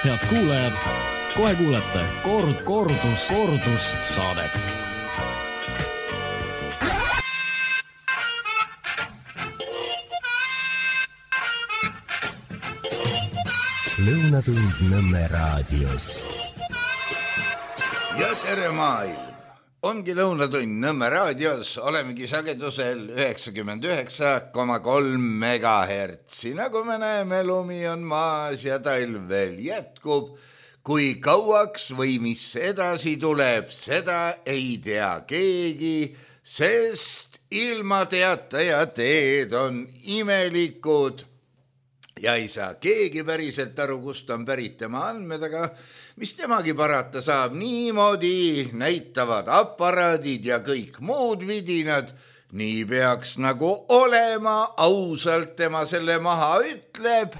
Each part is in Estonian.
Head kuulajad, kohe kuulete kordus saadet. Lõunatund Nõmme raadios. Ja tere maailm! Ongi Lõunatund Nõmme raadios, olemegi sagedusel 99,3 megahertsi. Nagu me näeme, lumi on maas ja talv veel jätkub. Kui kauaks või mis edasi tuleb, seda ei tea keegi, sest ilmateataja teed on imelikud. Ja ei saa keegi päriselt aru, kust on pärit tema andmed, aga mis temagi parata saab, niimoodi näitavad aparaadid ja kõik muud vidinad. Nii peaks nagu olema, ausalt tema selle maha ütleb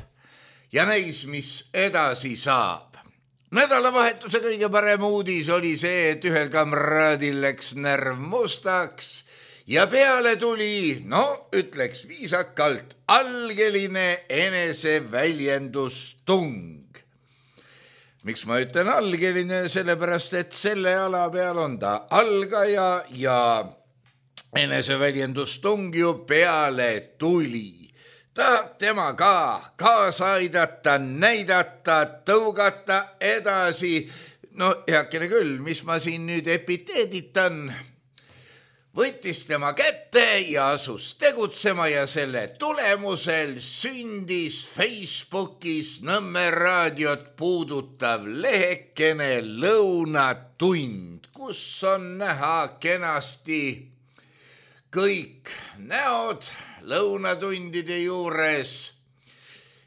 ja näis, mis edasi saab. Nädalavahetuse kõige parem uudis oli see, et ühel kamraadil läks närv mustaks ja peale tuli, ütleks viisakalt, algeline eneseväljendustung. Miks ma ütlen algeline? Sellepärast, et selle ala peal on ta algaja ja eneseväljendustung ju peale tuli. Tahab tema ka kaasa aidata, näidata, tõugata edasi. Heakene küll, mis ma siin nüüd epiteeditan? Võttis tema kätte ja asus tegutsema ja selle tulemusel sündis Facebookis Nõmme raadiot puudutav lehekene Lõunatund, kus on näha kenasti kõik näod lõunatundide juures.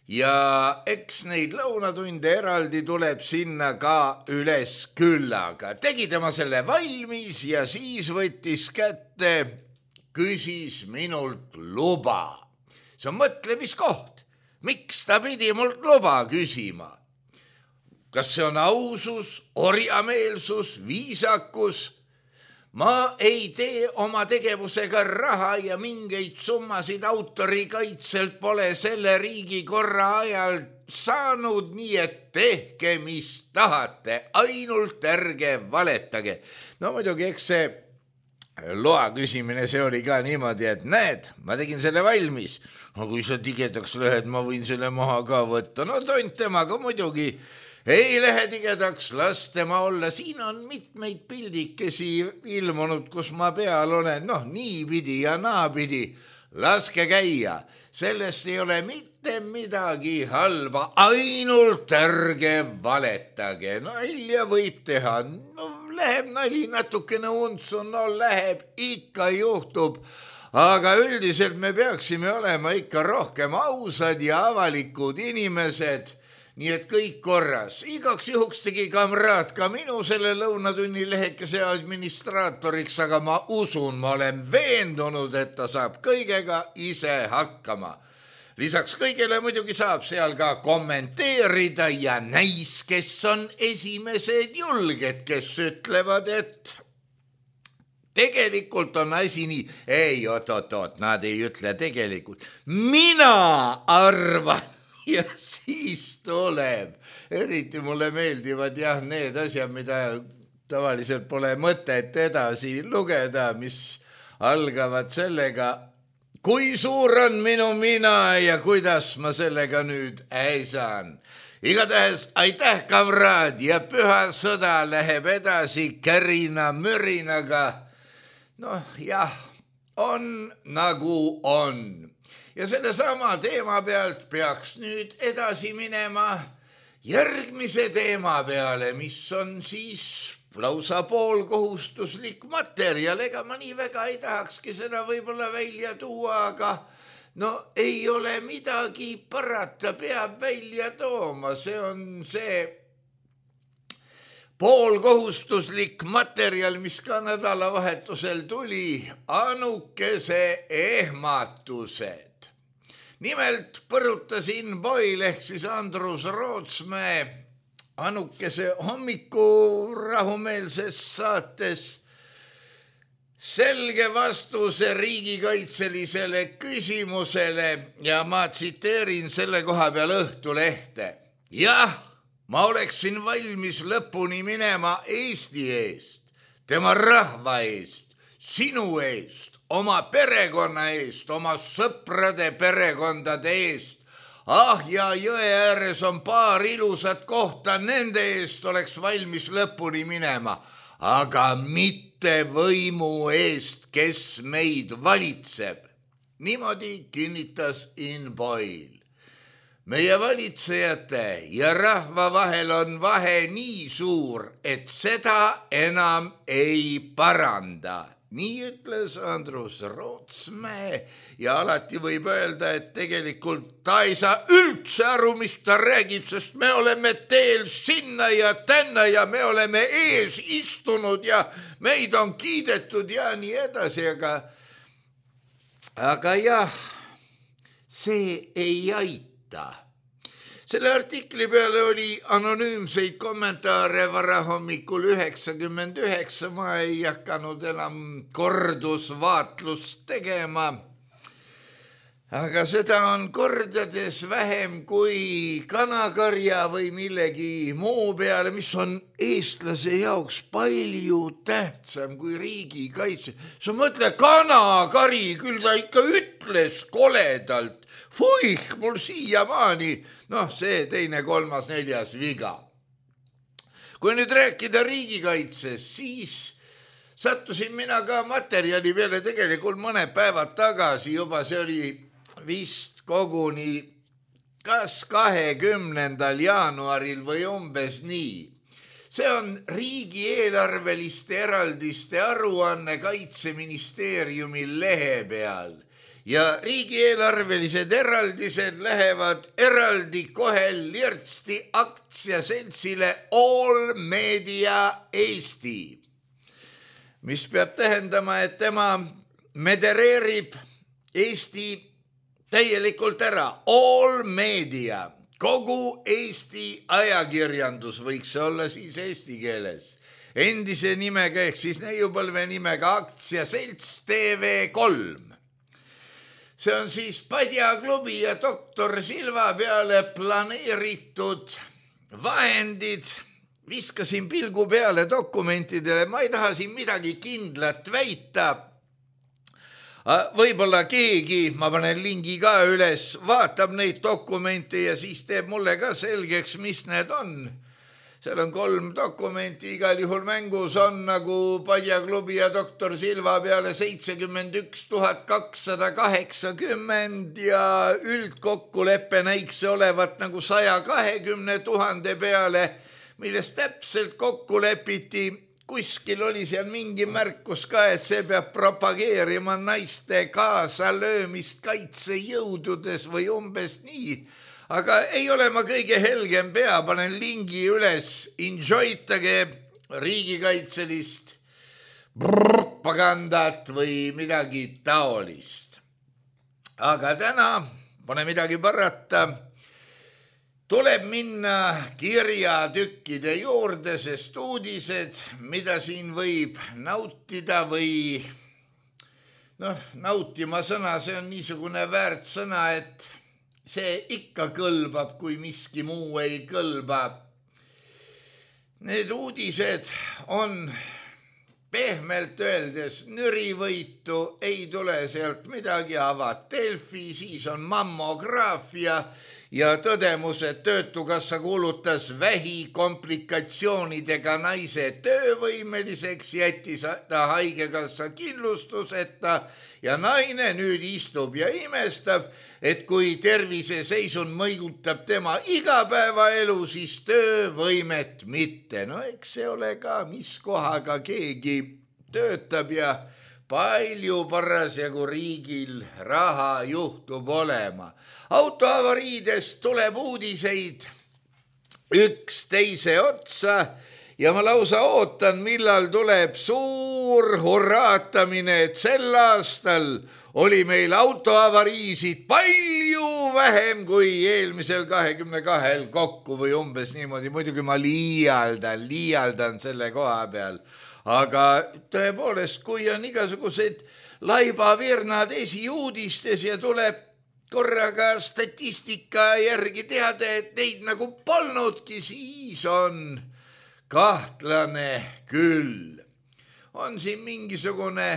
Ja eks neid lõunatunde eraldi tuleb sinna ka üles küllaga. Tegi tema selle valmis ja siis võttis kätte, küsis minult luba. See on mõtlemiskoht. Miks ta pidi mult luba küsima? Kas see on ausus, orjameelsus, viisakus? Ma ei tee oma tegevusega raha ja mingeid summasid autorikaitselt pole selle riigikorra ajal saanud, nii et tehke, mis tahate, ainult ärge valetage. Muidugi, eks see loa küsimine, see oli ka niimoodi, et näed, ma tegin selle valmis. Kui sa tigedaks lähed, ma võin selle maha ka võtta. Tont temaga muidugi ei lähe tigedaks, las tema olla. Siin on mitmeid pildikesi ilmunud, kus ma peal olen. Niipidi ja naapidi. Laske käia. Sellest ei ole mitte midagi halba. Ainult ärge valetage. Ilja võib teha. Läheb nali natukene untsu. Läheb, ikka juhtub. Aga üldiselt me peaksime olema ikka rohkem ausad ja avalikud inimesed. Nii et kõik korras. Igaks juhuks tegi kamraad ka minu selle lõunatunni lehekese administraatoriks, aga ma usun, ma olen veendunud, et ta saab kõigega ise hakkama. Lisaks kõigele muidugi saab seal ka kommenteerida ja näis, kes on esimesed julged, kes ütlevad, et tegelikult on asi nii. Ei, oot, nad ei ütle tegelikult. Mina arvan ja siis tuleb. Eriti mulle meeldivad need asjad, mida tavaliselt pole mõtet edasi lugeda, mis algavad sellega, kui suur on minu mina ja kuidas ma sellega nüüd saan. Igatahes aitäh, kamraad, ja püha sõda läheb edasi kärina mürinaga. Jah, on nagu on. Ja selle sama teema pealt peaks nüüd edasi minema järgmise teema peale, mis on siis lausa poolkohustuslik materjal. Ega ma nii väga ei tahakski seda võib-olla välja tuua, aga ei ole midagi parata, peab välja tooma. See on see poolkohustuslik materjal, mis ka nädalavahetusel tuli, Anukese ehmatused. Nimelt põrutasin Boil ehk siis Andrus Rootsmäe Anukese hommikurahumeelses saates selge vastuse riigikaitselisele küsimusele ja ma tsiteerin selle koha peal Õhtulehte. Jah, ma oleksin valmis lõpuni minema Eesti eest, tema rahva eest, sinu eest, oma perekonna eest, oma sõprade perekondade eest. Ja jõe ääres on paar ilusat kohta, nende eest oleks valmis lõpuni minema, aga mitte võimu eest, kes meid valitseb. Niimoodi kinnitas In Boyle. Meie valitsejate ja rahva vahel on vahe nii suur, et seda enam ei paranda. Nii ütles Andrus Rootsmäe ja alati võib öelda, et tegelikult ta ei saa üldse aru, mis ta räägib, sest me oleme teel sinna ja tänna ja me oleme ees istunud ja meid on kiidetud ja nii edasi, aga jah, see ei aita. Selle artikli peale oli anonüümseid kommentaare varahommikul 99, ma ei hakanud enam kordusvaatlust tegema. Aga seda on kordades vähem kui kanakarja või millegi muu peale, mis on eestlase jaoks palju tähtsam kui riigikaitse. Sa mõtle, kanakari, küll ta ikka ütles koledalt. Fuih, mul siiamaani, see teine, kolmas, neljas viga. Kui nüüd rääkida riigikaitsest, siis sattusin mina ka materjali peale tegelikult mõned päevad tagasi juba, see oli vist koguni kas 20. jaanuaril või umbes nii. See on riigieelarveliste eraldiste aruanne Kaitseministeeriumi lehe peal. Ja riigieelarvelised eraldised lähevad eraldi kohe lirtsti aktsiaseltsile All Media Eesti, mis peab tähendama, et tema medereerib Eesti täielikult ära. All Media, kogu Eesti ajakirjandus võiks olla siis eesti keeles. Endise nimega ehk siis neiupõlve nimega aktsiaselts TV3. See on siis Padja klubi ja doktor Silva peale planeeritud vahendid. Viskasin pilgu peale dokumentidele, ma ei taha siin midagi kindlat väita. Võib-olla keegi, ma panen lingi ka üles, vaatab neid dokumente ja siis teeb mulle ka selgeks, mis need on. Seal on 3 dokumenti, igal juhul mängus on nagu Padja klubi ja doktor Silva peale 71 280 ja üldkokkuleppe näiks olevat nagu 120 000 peale, millest täpselt kokku lepiti. Kuskil oli seal mingi märkus ka, et see peab propageerima naiste kaasalöömist kaitsejõududes või umbes nii. Aga ei ole ma kõige helgem pea, panen lingi üles, enjoytage riigikaitselist propagandat või midagi taolist. Aga täna, pole midagi parata, tuleb minna kirjatükkide juurde, sest uudised, mida siin võib nautida või nautima sõna, see on niisugune väärt sõna, et see ikka kõlbab, kui miski muu ei kõlba. Need uudised on pehmelt öeldes nürivõitu, ei tule sealt midagi, avad Delfi, siis on mammograafia ja tõdemus, et Töötukassa kuulutas vähikomplikatsioonidega naise töövõimeliseks, jättis ta haigekassa kindlustuseta ja naine nüüd istub ja imestab, et kui terviseseisund mõjutab tema igapäevaelu, siis töövõimet mitte. Eks see ole ka, mis kohaga keegi töötab ja palju parasjagu riigil raha juhtub olema. Autoavariidest tuleb uudiseid üks teise otsa ja ma lausa ootan, millal tuleb suur hurraatamine, et sel aastal oli meil autoavariisid palju vähem kui eelmisel 22 kokku või umbes niimoodi. Muidugi ma liialdan selle koha peal. Aga tõepoolest, kui on igasugused laibavirnad esiuudistes ja tuleb korraga statistika järgi teada, et neid nagu polnudki, siis on kahtlane küll. On siin mingisugune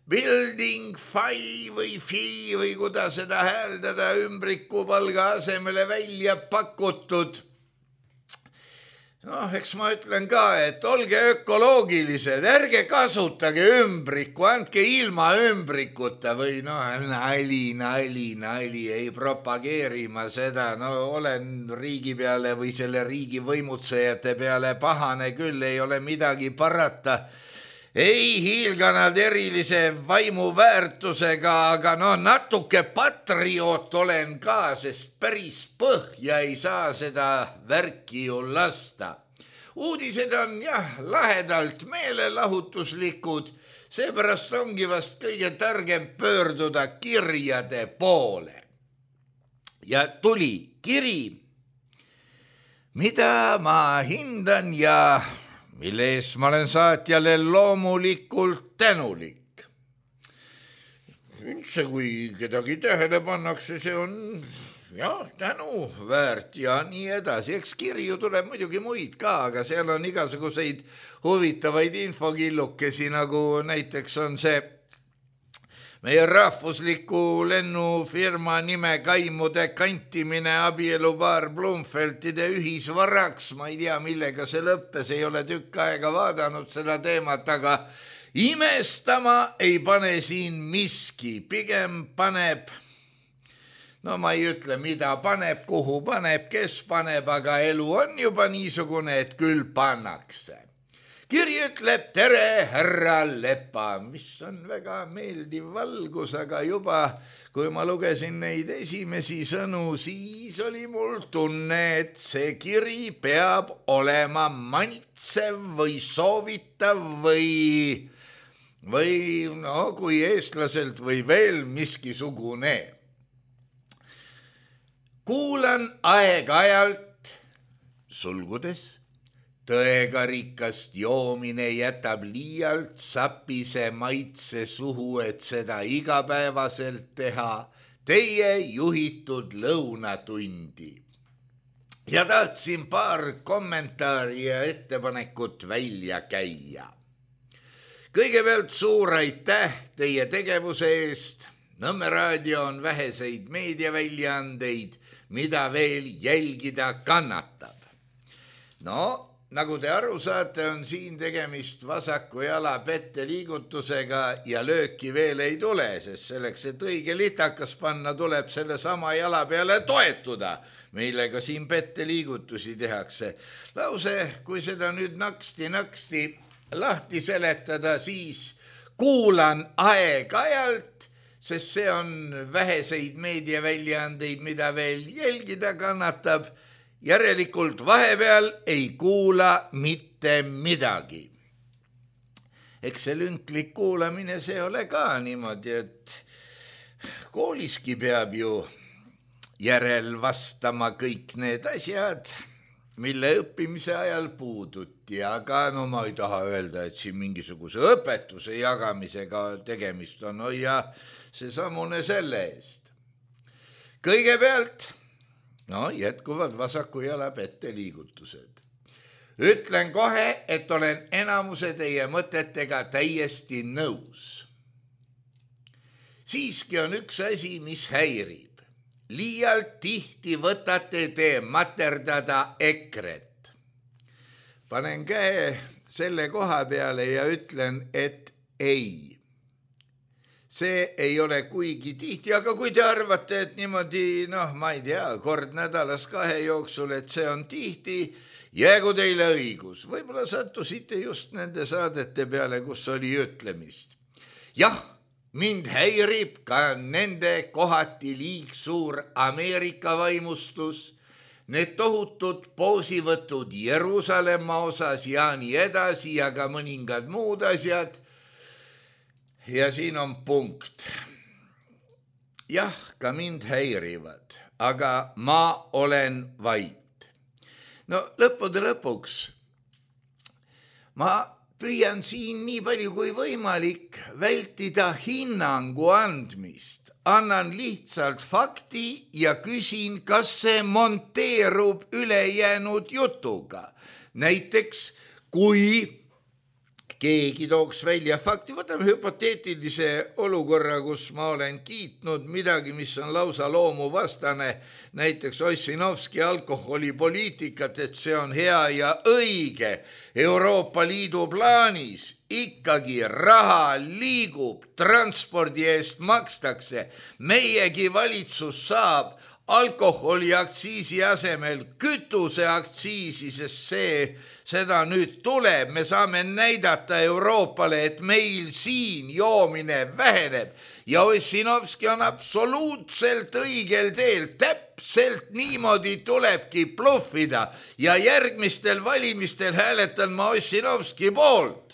building fi või kuidas seda hääldada ümbrikupalga asemele välja pakutud. Noh, eks ma ütlen ka, et olge ökoloogilised, ärge kasutage ümbriku, andke ilma ümbrikuta või nali, ei propageeri ma seda, olen riigi peale või selle riigi võimutsejate peale pahane küll, ei ole midagi parata. Ei hiilga nad erilise vaimuväärtusega, aga natuke patrioot olen ka, sest päris põhja ei saa seda värki ju lasta. Uudised on lahedalt meelelahutuslikud, seepärast ongi vast kõige targem pöörduda kirjade poole. Ja tuli kiri, mida ma hindan ja mille eest ma olen saatjale loomulikult tänulik. Üldse, kui kedagi tähele pannakse, see on tänu väärt ja nii edasi. Eks kirju tuleb muidugi muid ka, aga seal on igasuguseid huvitavaid infokillukesi, nagu näiteks on see meie rahvusliku lennufirma nime kaimude kantimine abielupaar Blumfeldide ühisvaraks. Ma ei tea, millega see lõppes, ei ole tükk aega vaadanud seda teemat, aga imestama ei pane siin miski. Pigem paneb, ma ei ütle, mida paneb, kuhu paneb, kes paneb, aga elu on juba niisugune, et küll pannakse. Kiri ütleb, tere härra Lepa, mis on väga meeldiv valgus, aga juba kui ma lugesin neid esimesi sõnu, siis oli mul tunne, et see kiri peab olema manitsev või soovitav või kui eestlaselt või veel miskisugune. Kuulan aeg-ajalt, sulgudes, tõega rikast joomine jätab liialt sapise maitse suhu, et seda igapäevaselt teha teie juhitud lõunatundi. Ja tahtsin paar kommentaari ja ettepanekut välja käia. Kõigepealt suur aitäh teie tegevuse eest. Nõmme raadio on väheseid meediaväljaandeid, mida veel jälgida kannatab. Nagu te aru saate, on siin tegemist vasaku jala pette liigutusega ja lööki veel ei tule, sest selleks, et õige litakas panna, tuleb selle sama jala peale toetuda, millega siin pette liigutusi tehakse. Lause, kui seda nüüd naksti lahti seletada, siis kuulan aeg-ajalt, sest see on väheseid meediaväljaandeid, mida veel jälgida kannatab. Järelikult vahepeal ei kuula mitte midagi. Eks see lünklik kuulamine, see ole ka niimoodi, et kooliski peab ju järel vastama kõik need asjad, mille õppimise ajal puuduti, aga ma ei taha öelda, et siin mingisuguse õpetuse jagamisega tegemist on, ja see samune selle eest. Kõigepealt jätkuvad vasaku jala pette liigutused. Ütlen kohe, et olen enamuse teie mõtetega täiesti nõus. Siiski on üks asi, mis häirib. Liialt tihti võtate te materdada EKRE-t. Panen käe selle koha peale ja ütlen, et ei. See ei ole kuigi tihti, aga kui te arvate, et niimoodi, ma ei tea, kord nädalas 2 jooksul, et see on tihti, jäägu teile õigus. Võib-olla sattusite just nende saadete peale, kus oli ütlemist. Jah, mind häirib ka nende kohati liigsuur Ameerika vaimustus, need tohutud poosivõtud Jeruusalemma osas ja nii edasi ja ka mõningad muud asjad. Ja siin on punkt. Jah, ka mind häirivad, aga ma olen vait. Lõppude lõpuks ma püüan siin nii palju kui võimalik vältida hinnangu andmist, annan lihtsalt fakti ja küsin, kas see monteerub ülejäänud jutuga. Näiteks, kui keegi tooks välja fakti, võtame hüpoteetilise olukorra, kus ma olen kiitnud midagi, mis on lausa loomuvastane, näiteks Ossinovski alkoholipoliitikat, et see on hea ja õige. Euroopa Liidu plaanis ikkagi raha liigub, transpordi eest makstakse, meiegi valitsus saab alkoholiaktsiisi asemel kütuseaktsiisi, sest seda nüüd tuleb, me saame näidata Euroopale, et meil siin joomine väheneb ja Ossinovski on absoluutselt õigel teel, täpselt niimoodi tulebki bluffida ja järgmistel valimistel hääletan ma Ossinovski poolt,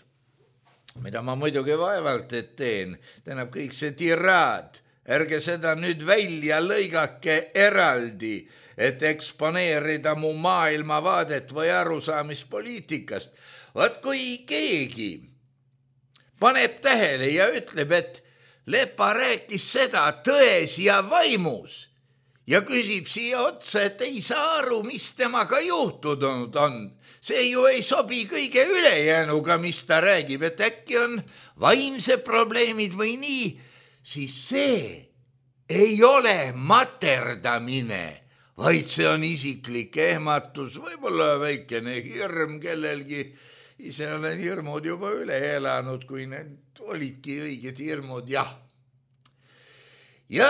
mida ma muidugi vaevalt et teen, tähendab kõik see tiraad, ärge seda nüüd välja lõigake eraldi, et eksponeerida mu maailmavaadet või arusaamispoliitikast. Vaat kui keegi paneb tähele ja ütleb, et Lepa rääkis seda tões ja vaimus ja küsib siia otsa, et ei saa aru, mis temaga juhtunud on. See ju ei sobi kõige ülejäänuga, mis ta räägib, et äkki on vaimsed probleemid või nii, siis see ei ole materdamine, vaid see on isiklik ehmatus, võib-olla väikene hirm kellelgi. Ise olen hirmud juba üle elanud, kui need olidki õiged hirmud, jah. Ja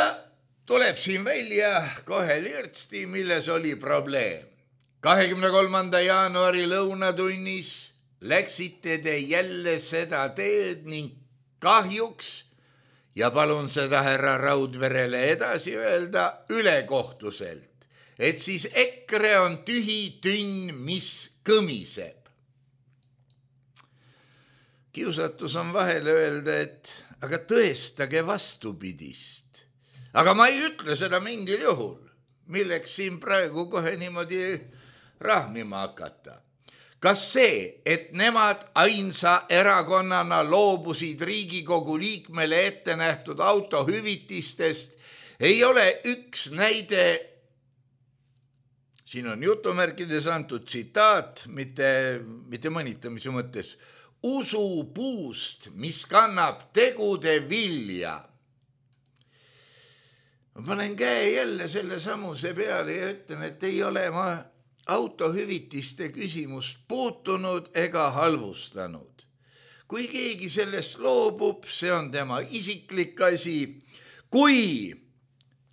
tuleb siin välja kohe lirtsti, milles oli probleem. 23. jaanuari lõunatunnis läksite te jälle seda teed ning kahjuks, ja palun seda härra Raudverele edasi öelda ülekohtuselt, et siis EKRE on tühi tünn, mis kõmiseb. Kiusatus on vahele öelda, et aga tõestage vastupidist. Aga ma ei ütle seda mingil juhul, milleks siin praegu kohe niimoodi rahmima hakata. Kas see, et nemad ainsa erakonnana loobusid Riigikogu liikmele ette nähtud autohüvitistest, ei ole üks näide, siin on jutumärkides antud tsitaat, mitte mõnitamise mõttes, usupuust, mis kannab tegude vilja. Ma panen käe jälle selle samuse peale ja ütlen, et ei ole ma autohüvitiste küsimust puutunud ega halvustanud. Kui keegi sellest loobub, see on tema isiklik asi. Kui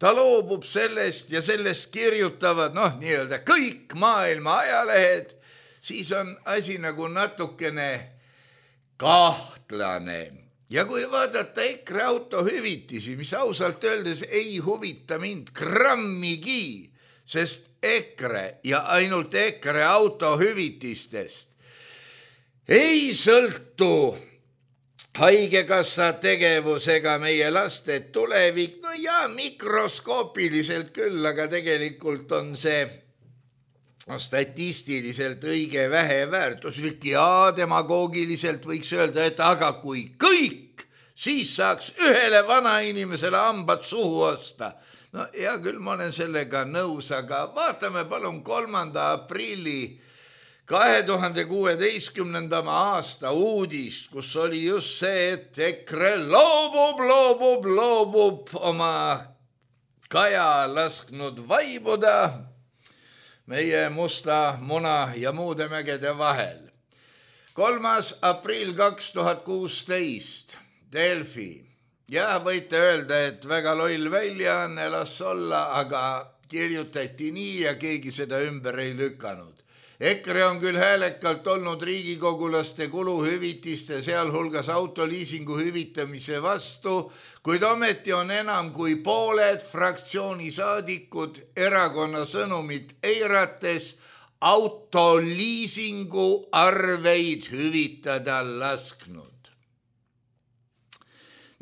ta loobub sellest ja sellest kirjutavad, nii-öelda kõik maailma ajalehed, siis on asi nagu natukene kahtlane. Ja kui vaadata EKRE autohüvitisi, mis ausalt öeldes ei huvita mind grammigi, sest EKRE ja ainult EKRE autohüvitistest ei sõltu haigekassa tegevusega meie laste tulevik, ja mikroskoopiliselt küll, aga tegelikult on see statistiliselt õige väheväärtuslik ja demagoogiliselt võiks öelda, et aga kui kõik, siis saaks ühele vanainimesele hambad suhu osta. Hea küll, ma olen sellega nõus, aga vaatame palun 3. aprilli 2016. aasta uudist, kus oli just see, et EKRE loobub oma kaja lasknud vaibuda meie Musta Muna ja muude mägede vahel. 3. aprill 2016, Delfi. Ja võite öelda, et väga loll väljaanne, las olla, aga kirjutati nii ja keegi seda ümber ei lükanud. EKRE on küll häälekalt olnud riigikogulaste kuluhüvitiste, sealhulgas autoliisingu hüvitamise vastu, kuid ometi on enam kui pooled fraktsiooni saadikud erakonna sõnumit eirates autoliisingu arveid hüvitada lasknud.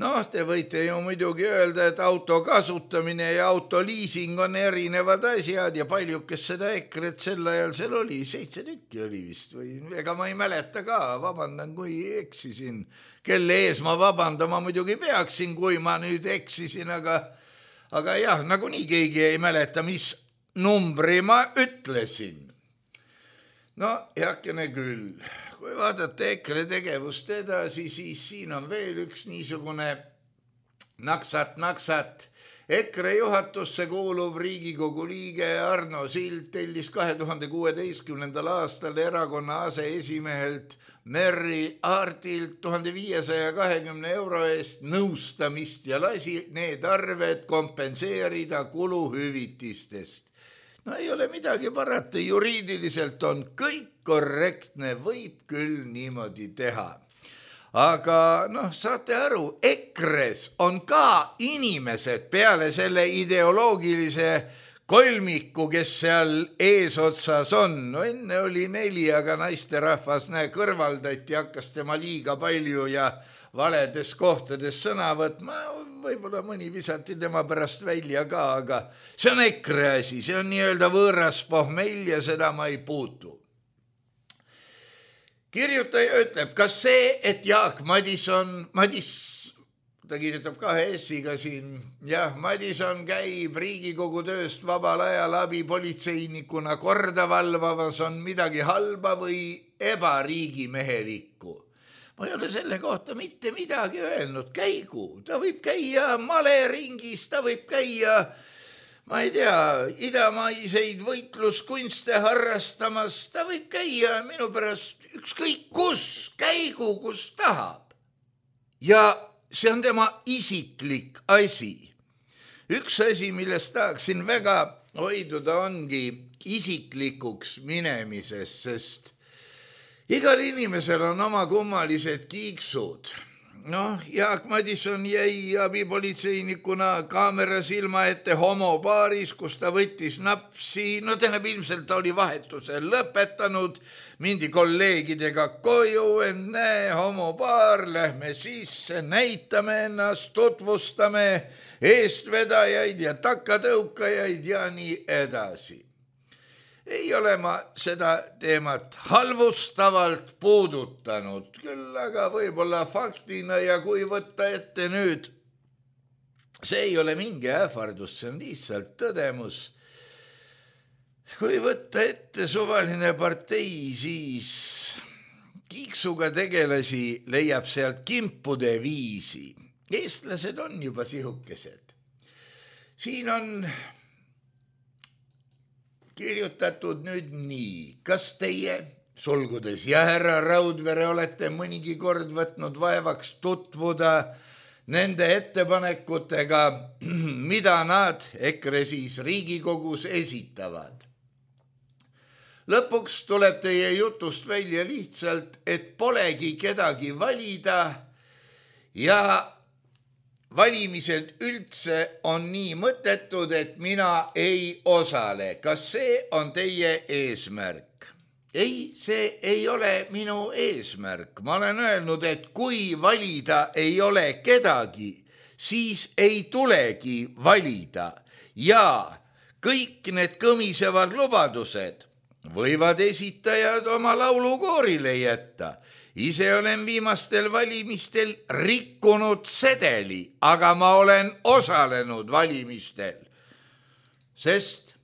Noh, te võite ju muidugi öelda, et auto kasutamine ja autoliising on erinevad asjad ja palju, kes seda EKRE-t sel ajal seal oli, 7 tükki oli vist või ega ma ei mäleta ka, vabandan, kui eksisin. Kelle ees ma vabandama muidugi peaksin, kui ma nüüd eksisin, aga jah, nagunii keegi ei mäleta, mis numbri ma ütlesin. No, heakene küll. Kui vaadata EKRE tegevust edasi, siis siin on veel üks niisugune naksat. EKRE juhatusse kuuluv Riigikogu liige Arno Sild tellis 2016. aastal erakonna aseesimehelt Merry Aartilt 1520 euro eest nõustamist ja lasi need arved kompenseerida kuluhüvitistest. No ei ole midagi parata, juriidiliselt on kõik korrektne, võib küll niimoodi teha. Aga saate aru, EKRE-s on ka inimesed peale selle ideoloogilise kolmiku, kes seal eesotsas on. No enne oli 4, aga naisterahvas kõrvaldati, hakkas tema liiga palju ja valedes kohtades sõna võtma. Võib-olla mõni visati tema pärast välja ka, aga see on EKRE asi, see on nii-öelda võõras pohmell ja seda ma ei puutu. Kirjutaja ütleb, kas see, et Jaak Madison, ta kirjutab 2 S-iga siin, jah, Madison käib Riigikogu tööst vabal ajal abipolitseinikuna korda valvamas, on midagi halba või ebariigimehelikku. Ma ei ole selle kohta mitte midagi öelnud, käigu, ta võib käia maleringis, ta võib käia, ma ei tea, idamaiseid võitluskunste harrastamas, ta võib käia minu pärast ükskõik kus, käigu kus tahab. Ja see on tema isiklik asi. Üks asi, millest tahaksin väga hoiduda, ongi isiklikuks minemises, sest igal inimesel on oma kummalised kiiksud. Jaak Madison jäi abipolitseinikuna kaamera silma ette homopaaris, kus ta võttis napsi. Tähendab, ilmselt ta oli vahetuse lõpetanud, mindi kolleegidega koju, enne homopaar, lähme sisse, näitame ennast, tutvustame eestvedajaid ja takatõukajaid ja nii edasi. Ei ole ma seda teemat halvustavalt puudutanud, küll aga võib-olla faktina ja kui võtta ette nüüd, see ei ole mingi ähvardus, see on lihtsalt tõdemus. Kui võtta ette suvaline partei, siis kiiksuga tegelasi leiab sealt kimpude viisi. Eestlased on juba sihukesed. Siin on kirjutatud nüüd nii, kas teie, sulgudes ja härra Raudvere, olete mõnigi kord võtnud vaevaks tutvuda nende ettepanekutega, mida nad EKRE siis Riigikogus esitavad. Lõpuks tuleb teie jutust välja lihtsalt, et polegi kedagi valida ja valimised üldse on nii mõttetud, et mina ei osale. Kas see on teie eesmärk? Ei, see ei ole minu eesmärk. Ma olen öelnud, et kui valida ei ole kedagi, siis ei tulegi valida. Ja kõik need kõmisevad lubadused võivad esitajad oma laulukoorile jätta. Ise olen viimastel valimistel rikkunud sedeli, aga ma olen osalenud valimistel, sest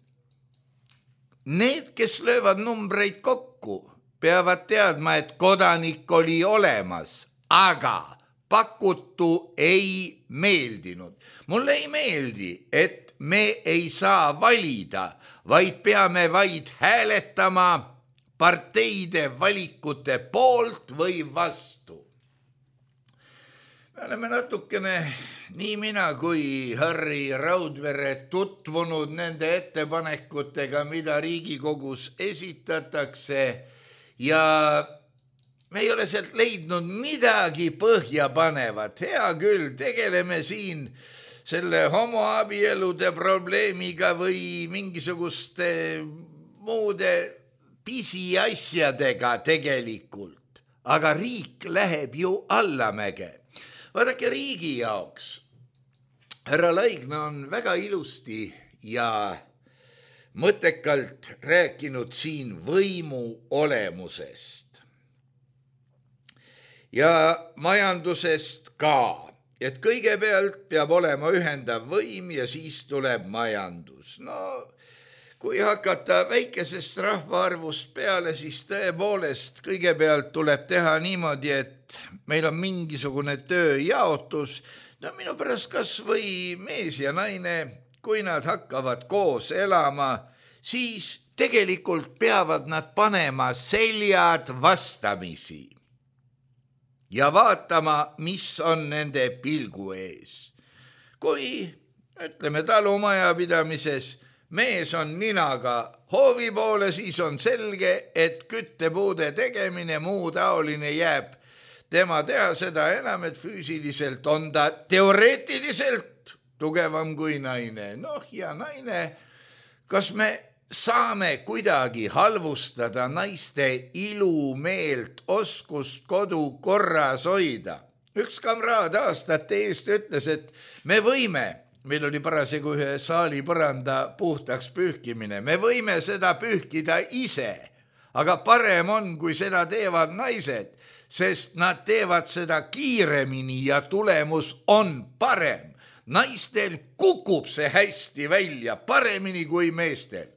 need, kes löövad numbreid kokku, peavad teadma, et kodanik oli olemas, aga pakutu ei meeldinud. Mulle ei meeldi, et me ei saa valida, vaid peame vaid hääletama parteide valikute poolt või vastu. Me oleme natukene, nii mina kui Harri Raudvere, tutvunud nende ettepanekutega, mida Riigikogus esitatakse ja me ei ole sealt leidnud midagi põhjapanevat. Hea küll, tegeleme siin selle homoabielude probleemiga või mingisuguste muude pisiasjadega tegelikult, aga riik läheb ju allamäge. Vaadake, riigi jaoks härra Laigna on väga ilusti ja mõttekalt rääkinud siin võimu olemusest ja majandusest ka, et kõigepealt peab olema ühendav võim ja siis tuleb majandus. No kui hakata väikesest rahvaarvust peale, siis tõepoolest kõigepealt tuleb teha niimoodi, et meil on mingisugune tööjaotus. No minu pärast kas või mees ja naine, kui nad hakkavad koos elama, siis tegelikult peavad nad panema seljad vastamisi ja vaatama, mis on nende pilgu ees. Kui, ütleme, talumajapidamises mees on ninaga hoovi poole, siis on selge, et küttepuude tegemine, muu taoline jääb tema teha, seda enam, et füüsiliselt on ta teoreetiliselt tugevam kui naine. Noh, ja naine, kas me saame kuidagi halvustada naiste ilumeelt, oskust kodu korras hoida? Üks kamraad aastate eest ütles, et me võime, meil oli parasjagu ühe saali põranda puhtaks pühkimine, me võime seda pühkida ise, aga parem on, kui seda teevad naised, sest nad teevad seda kiiremini ja tulemus on parem. Naistel kukub see hästi välja, paremini kui meestel.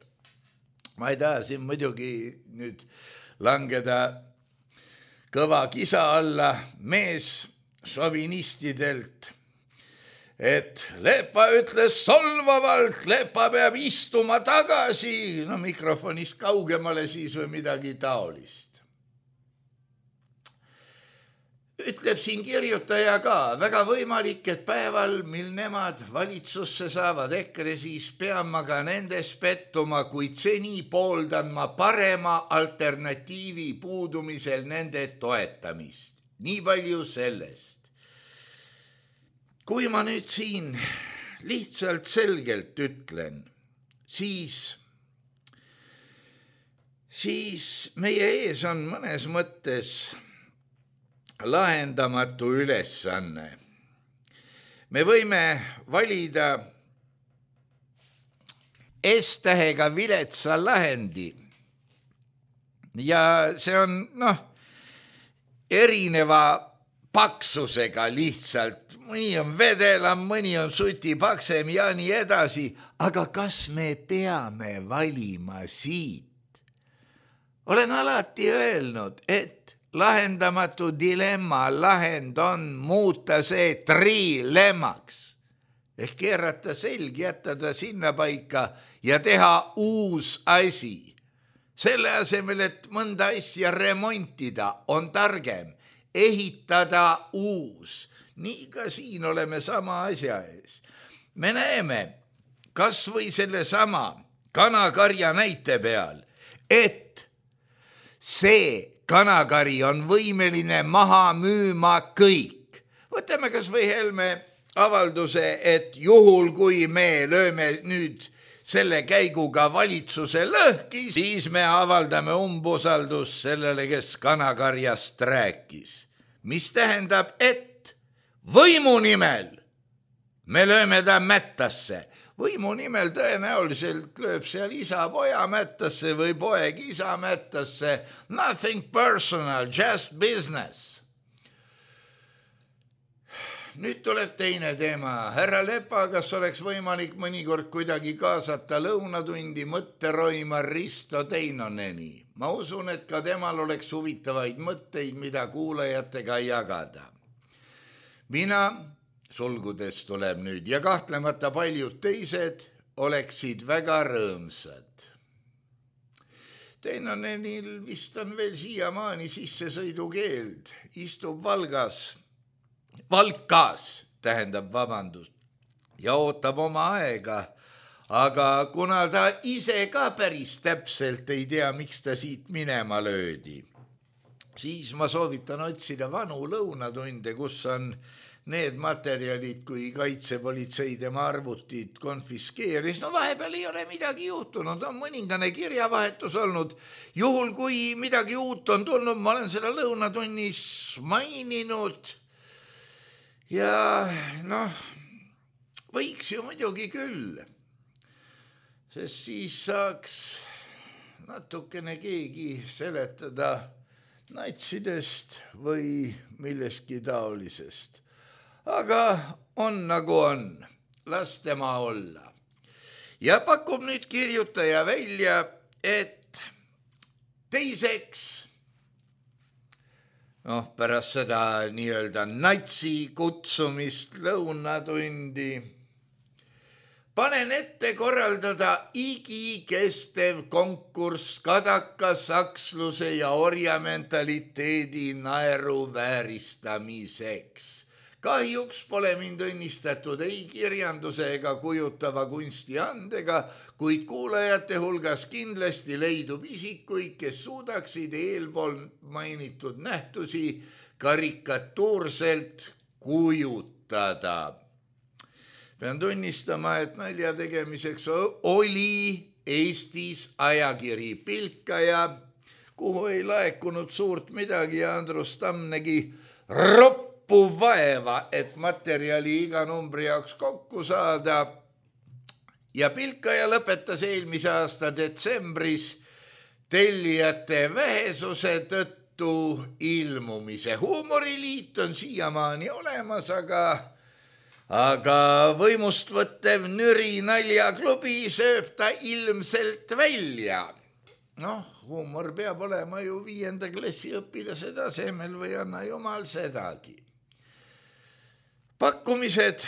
Ma ei taha siin muidugi nüüd langeda kõva kisa alla mees šovinistidelt, et Lepa ütles solvavalt, Lepa peab istuma tagasi, no mikrofonist kaugemale siis või midagi taolist. Ütleb siin kirjutaja ka, väga võimalik, et päeval, mil nemad valitsusse saavad EKRE, siis pean ma ka nendes pettuma, kuid seni pooldan ma parema alternatiivi puudumisel nende toetamist. Nii palju sellest. Kui ma nüüd siin lihtsalt selgelt ütlen, siis meie ees on mõnes mõttes lahendamatu ülesanne. Me võime valida S-tähega viletsa lahendi ja see on erineva paksusega lihtsalt. Mõni on vedelam, mõni on sutipaksem ja nii edasi, aga kas me peame valima siit? Olen alati öelnud, et lahendamatu dilemma lahend on muuta see trilemmaks ehk keerata selg, jätta ta sinna paika ja teha uus asi. Selle asemel, et mõnda asja remontida, on targem ehitada uus. Nii ka siin oleme sama asja ees. Me näeme kas või selle sama kanakarja näite peal, et see kanakari on võimeline maha müüma kõik. Võtame kas või Helme avalduse, et juhul kui me lööme nüüd selle käiguga valitsuse lõhki, siis me avaldame umbusaldust sellele, kes kanakarjast rääkis. Mis tähendab, et võimu nimel me lööme ta mättasse. Võimu nimel tõenäoliselt lööb seal isa poja mättasse või poeg isa mättasse. Nothing personal, just business. Nüüd tuleb teine teema. Härra Lepa, kas oleks võimalik mõnikord kuidagi kaasata lõunatundi mõtteroima Risto Teinoneni? Ma usun, et ka temal oleks huvitavaid mõtteid, mida kuulajatega jagada. Mina sulgudes tuleb nüüd ja kahtlemata paljud teised oleksid väga rõõmsad. Teinonenil vist on veel siiamaani sissesõidukeeld, istub Valkas, ja ootab oma aega, aga kuna ta ise ka päris täpselt ei tea, miks ta siit minema löödi, siis ma soovitan otsida vanu lõunatunde, kus on need materjalid, kui kaitsepolitsei tema arvutid konfiskeeris. No vahepeal ei ole midagi juhtunud, on mõningane kirjavahetus olnud. Juhul, kui midagi uut on tulnud, ma olen seda lõunatunnis maininud Ja võiks ju muidugi küll, sest siis saaks natukene keegi seletada natsidest või millestki taolisest. Aga on nagu on, las tema olla. Ja pakub nüüd kirjutaja välja, et teiseks, pärast seda nii-öelda natsi kutsumist lõunatundi, panen ette korraldada igikestev konkurss kadaka saksluse ja orjamentaliteedi naeruvääristamiseks. Kahjuks pole mind õnnistatud ei kirjanduse ega kujutava kunsti andega, kuid kuulajate hulgas kindlasti leidub isikuid, kes suudaksid eelpool mainitud nähtusi karikatuurselt kujutada. Pean tunnistama, et nalja tegemiseks oli Eestis ajakiri Pilkaja, kuhu ei laekunud suurt midagi ja Andrus Tamm nägi vaeva, et materjali iga numbri jaoks kokku saada. Ja Pilkaja lõpetas eelmise aasta detsembris tellijate vähesuse tõttu ilmumise. Huumoriliit on siiamaani olemas, aga võimust võttev Nüri naljaklubi sööb ta ilmselt välja. Huumor peab olema ju 5. klassi õpilase tasemel või anna jumal sedagi. Pakkumised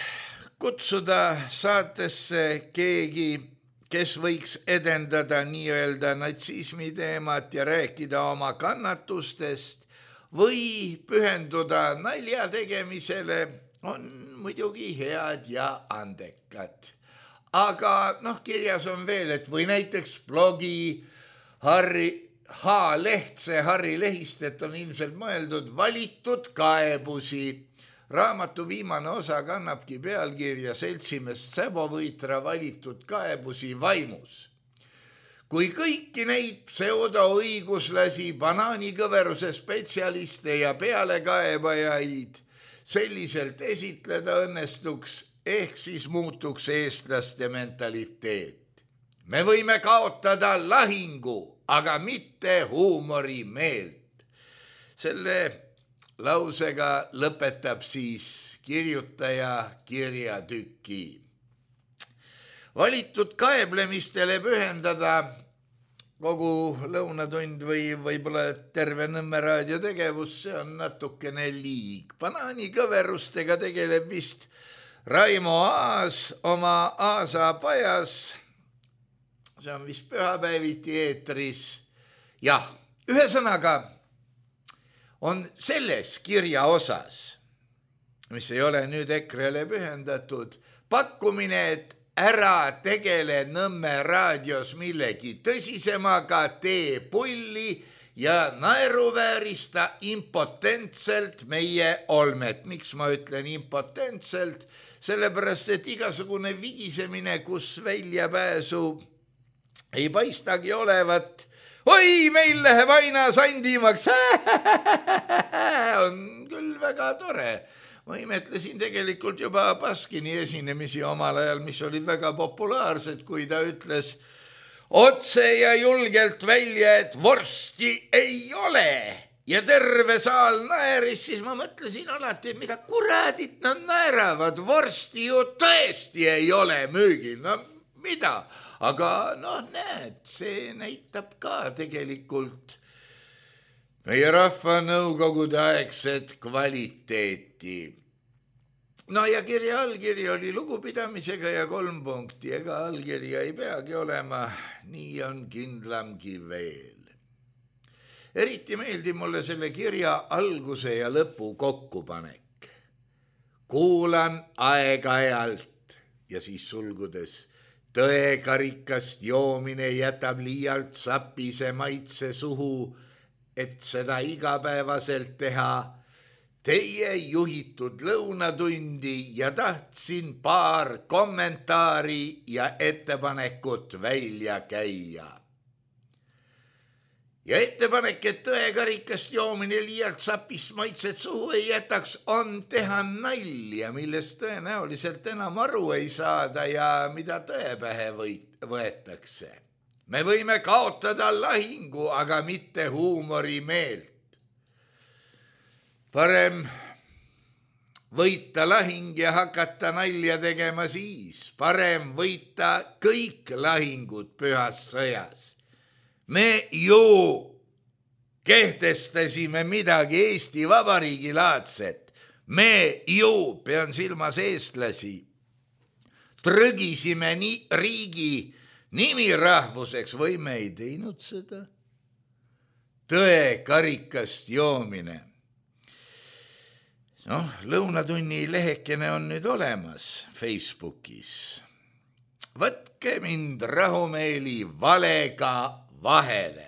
kutsuda saatesse keegi, kes võiks edendada nii-öelda natsismi teemat ja rääkida oma kannatustest või pühenduda nalja tegemisele, on muidugi head ja andekad. Aga kirjas on veel, et või näiteks blogi Harri Lehistet on ilmselt mõeldud valitud kaebusi. Raamatu viimane osa kannabki pealkirja Seltsimest Säbovõitra valitud kaebusi vaimus. Kui kõiki neid pseudoõiguslasi, banaanikõveruse spetsialiste ja pealekaebajaid selliselt esitleda õnnestuks, ehk siis muutuks eestlaste mentaliteet. Me võime kaotada lahingu, aga mitte huumorimeelt. Selle lausega lõpetab siis kirjutaja kirjatüki. Valitud kaeblemistele pühendada kogu lõunatund või võib-olla terve Nõmme raadio tegevus, see on natukene liig. Banaanikõverustega tegeleb vist Raimo Aas oma Aasapajas. See on vist pühapäeviti eetris. Jah, ühesõnaga on selles kirja osas, mis ei ole nüüd EKRE-le pühendatud, pakkumine, et ära tegele Nõmme raadios millegi tõsisemaga, tee pulli ja naeruväärista impotentselt meie olmet. Miks ma ütlen impotentselt? Sellepärast, et igasugune vigisemine, kus väljapääsu ei paistagi olevat. Oi, meil läheb aina sandimaks. On küll väga tore. Ma imetlesin tegelikult juba Baskini esinemisi omal ajal, mis olid väga populaarsed, kui ta ütles otse ja julgelt välja, et vorsti ei ole. Ja terve saal naeris, siis ma mõtlesin alati, mida kuradit nad naeravad. Vorsti ju tõesti ei ole müügil. No mida? Aga näed, see näitab ka tegelikult meie rahvanõukogude aegset kvaliteeti. Ja kirja allkiri oli lugupidamisega ja 3 punkti, ega allkirja ei peagi olema, nii on kindlamgi veel. Eriti meeldib mulle selle kirja alguse ja lõpu kokkupanek. Kuulan aeg-ajalt ja siis sulgudes tõekarikast joomine jätab liialt sapise maitse suhu, et seda igapäevaselt teha. Teie juhitud lõunatundi ja tahtsin paar kommentaari ja ettepanekut välja käia. Ja ettepanek, et tõekarikast joomine liialt sapist maitset suhu ei jätaks, on teha nalja, millest tõenäoliselt enam aru ei saada ja mida tõe pähe võetakse. Me võime kaotada lahingu, aga mitte huumorimeelt. Parem võita lahing ja hakata nalja tegema siis. Parem võita kõik lahingud pühas sõjas. Me ju kehtestasime midagi Eesti Vabariigi laadset. Me ju, pean silmas eestlasi, trõgisime riigi nimirahvuseks või me ei teinud seda. Tõekarikast joomine. Lõunatunni lehekene on nüüd olemas Facebookis. Võtke mind rahumeeli valega vahele.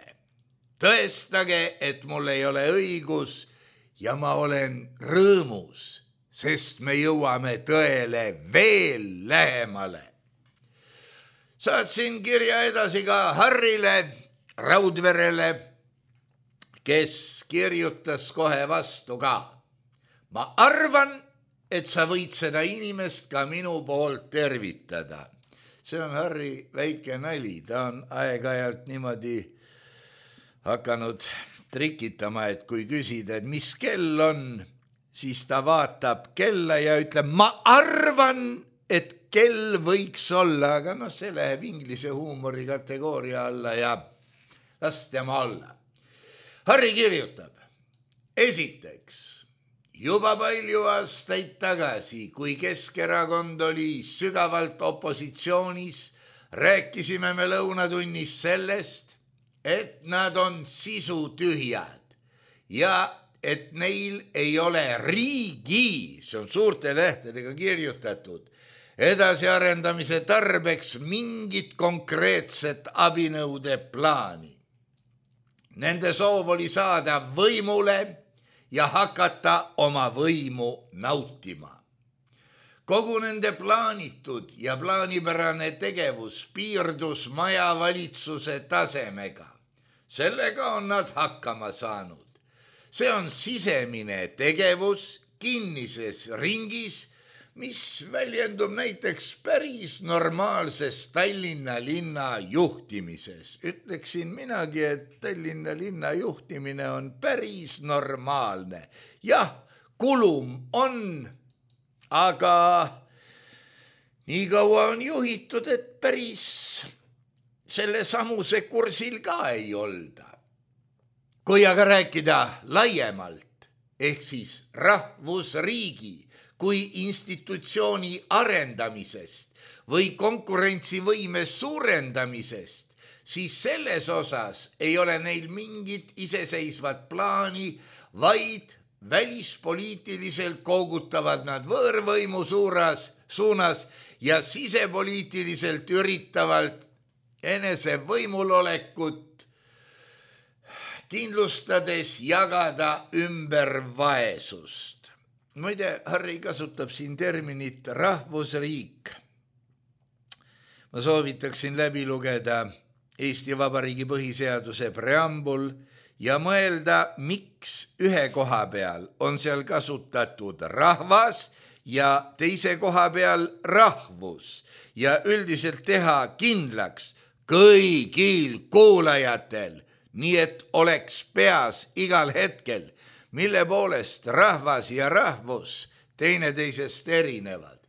Tõestage, et mul ei ole õigus ja ma olen rõõmus, sest me jõuame tõele veel lähemale. Saatsin kirja edasi ka Harrile Raudverele, kes kirjutas kohe vastu ka. Ma arvan, et sa võid seda inimest ka minu poolt tervitada. See on Harri väike nali, ta on aeg-ajalt niimoodi hakanud trikitama, et kui küsida, et mis kell on, siis ta vaatab kella ja ütleb, ma arvan, et kell võiks olla, aga see läheb inglise huumori kategooria alla ja las tema olla. Harri kirjutab, esiteks, juba palju aastaid tagasi, kui Keskerakond oli sügavalt opositsioonis, rääkisime me lõunatunnis sellest, et nad on sisutühjad ja et neil ei ole riigi, see on suurte lehtedega kirjutatud, edasiarendamise tarbeks mingit konkreetset abinõude plaani. Nende soov oli saada võimule ja hakata oma võimu nautima. Kogu nende plaanitud ja plaanipärane tegevus piirdus majavalitsuse tasemega. Sellega on nad hakkama saanud. See on sisemine tegevus kinnises ringis, mis väljendub näiteks päris normaalses Tallinna linna juhtimises. Ütleksin minagi, et Tallinna linna juhtimine on päris normaalne. Jah, kulum on, aga nii kaua on juhitud, et päris selle samuse kursil ka ei olda. Kui aga rääkida laiemalt, ehk siis rahvusriigi kui institutsiooni arendamisest või konkurentsivõime suurendamisest, siis selles osas ei ole neil mingit iseseisvat plaani, vaid välispoliitiliselt koogutavad nad võõrvõimu suunas ja sisepoliitiliselt üritavalt enese võimulolekut kindlustades jagada ümber vaesust. Muide, Harri kasutab siin terminit rahvusriik. Ma soovitaksin läbi lugeda Eesti Vabariigi põhiseaduse preambul ja mõelda, miks ühe koha peal on seal kasutatud rahvas ja teise koha peal rahvus ja üldiselt teha kindlaks kõigil kuulajatel, nii et oleks peas igal hetkel, mille poolest rahvas ja rahvus teineteisest erinevad.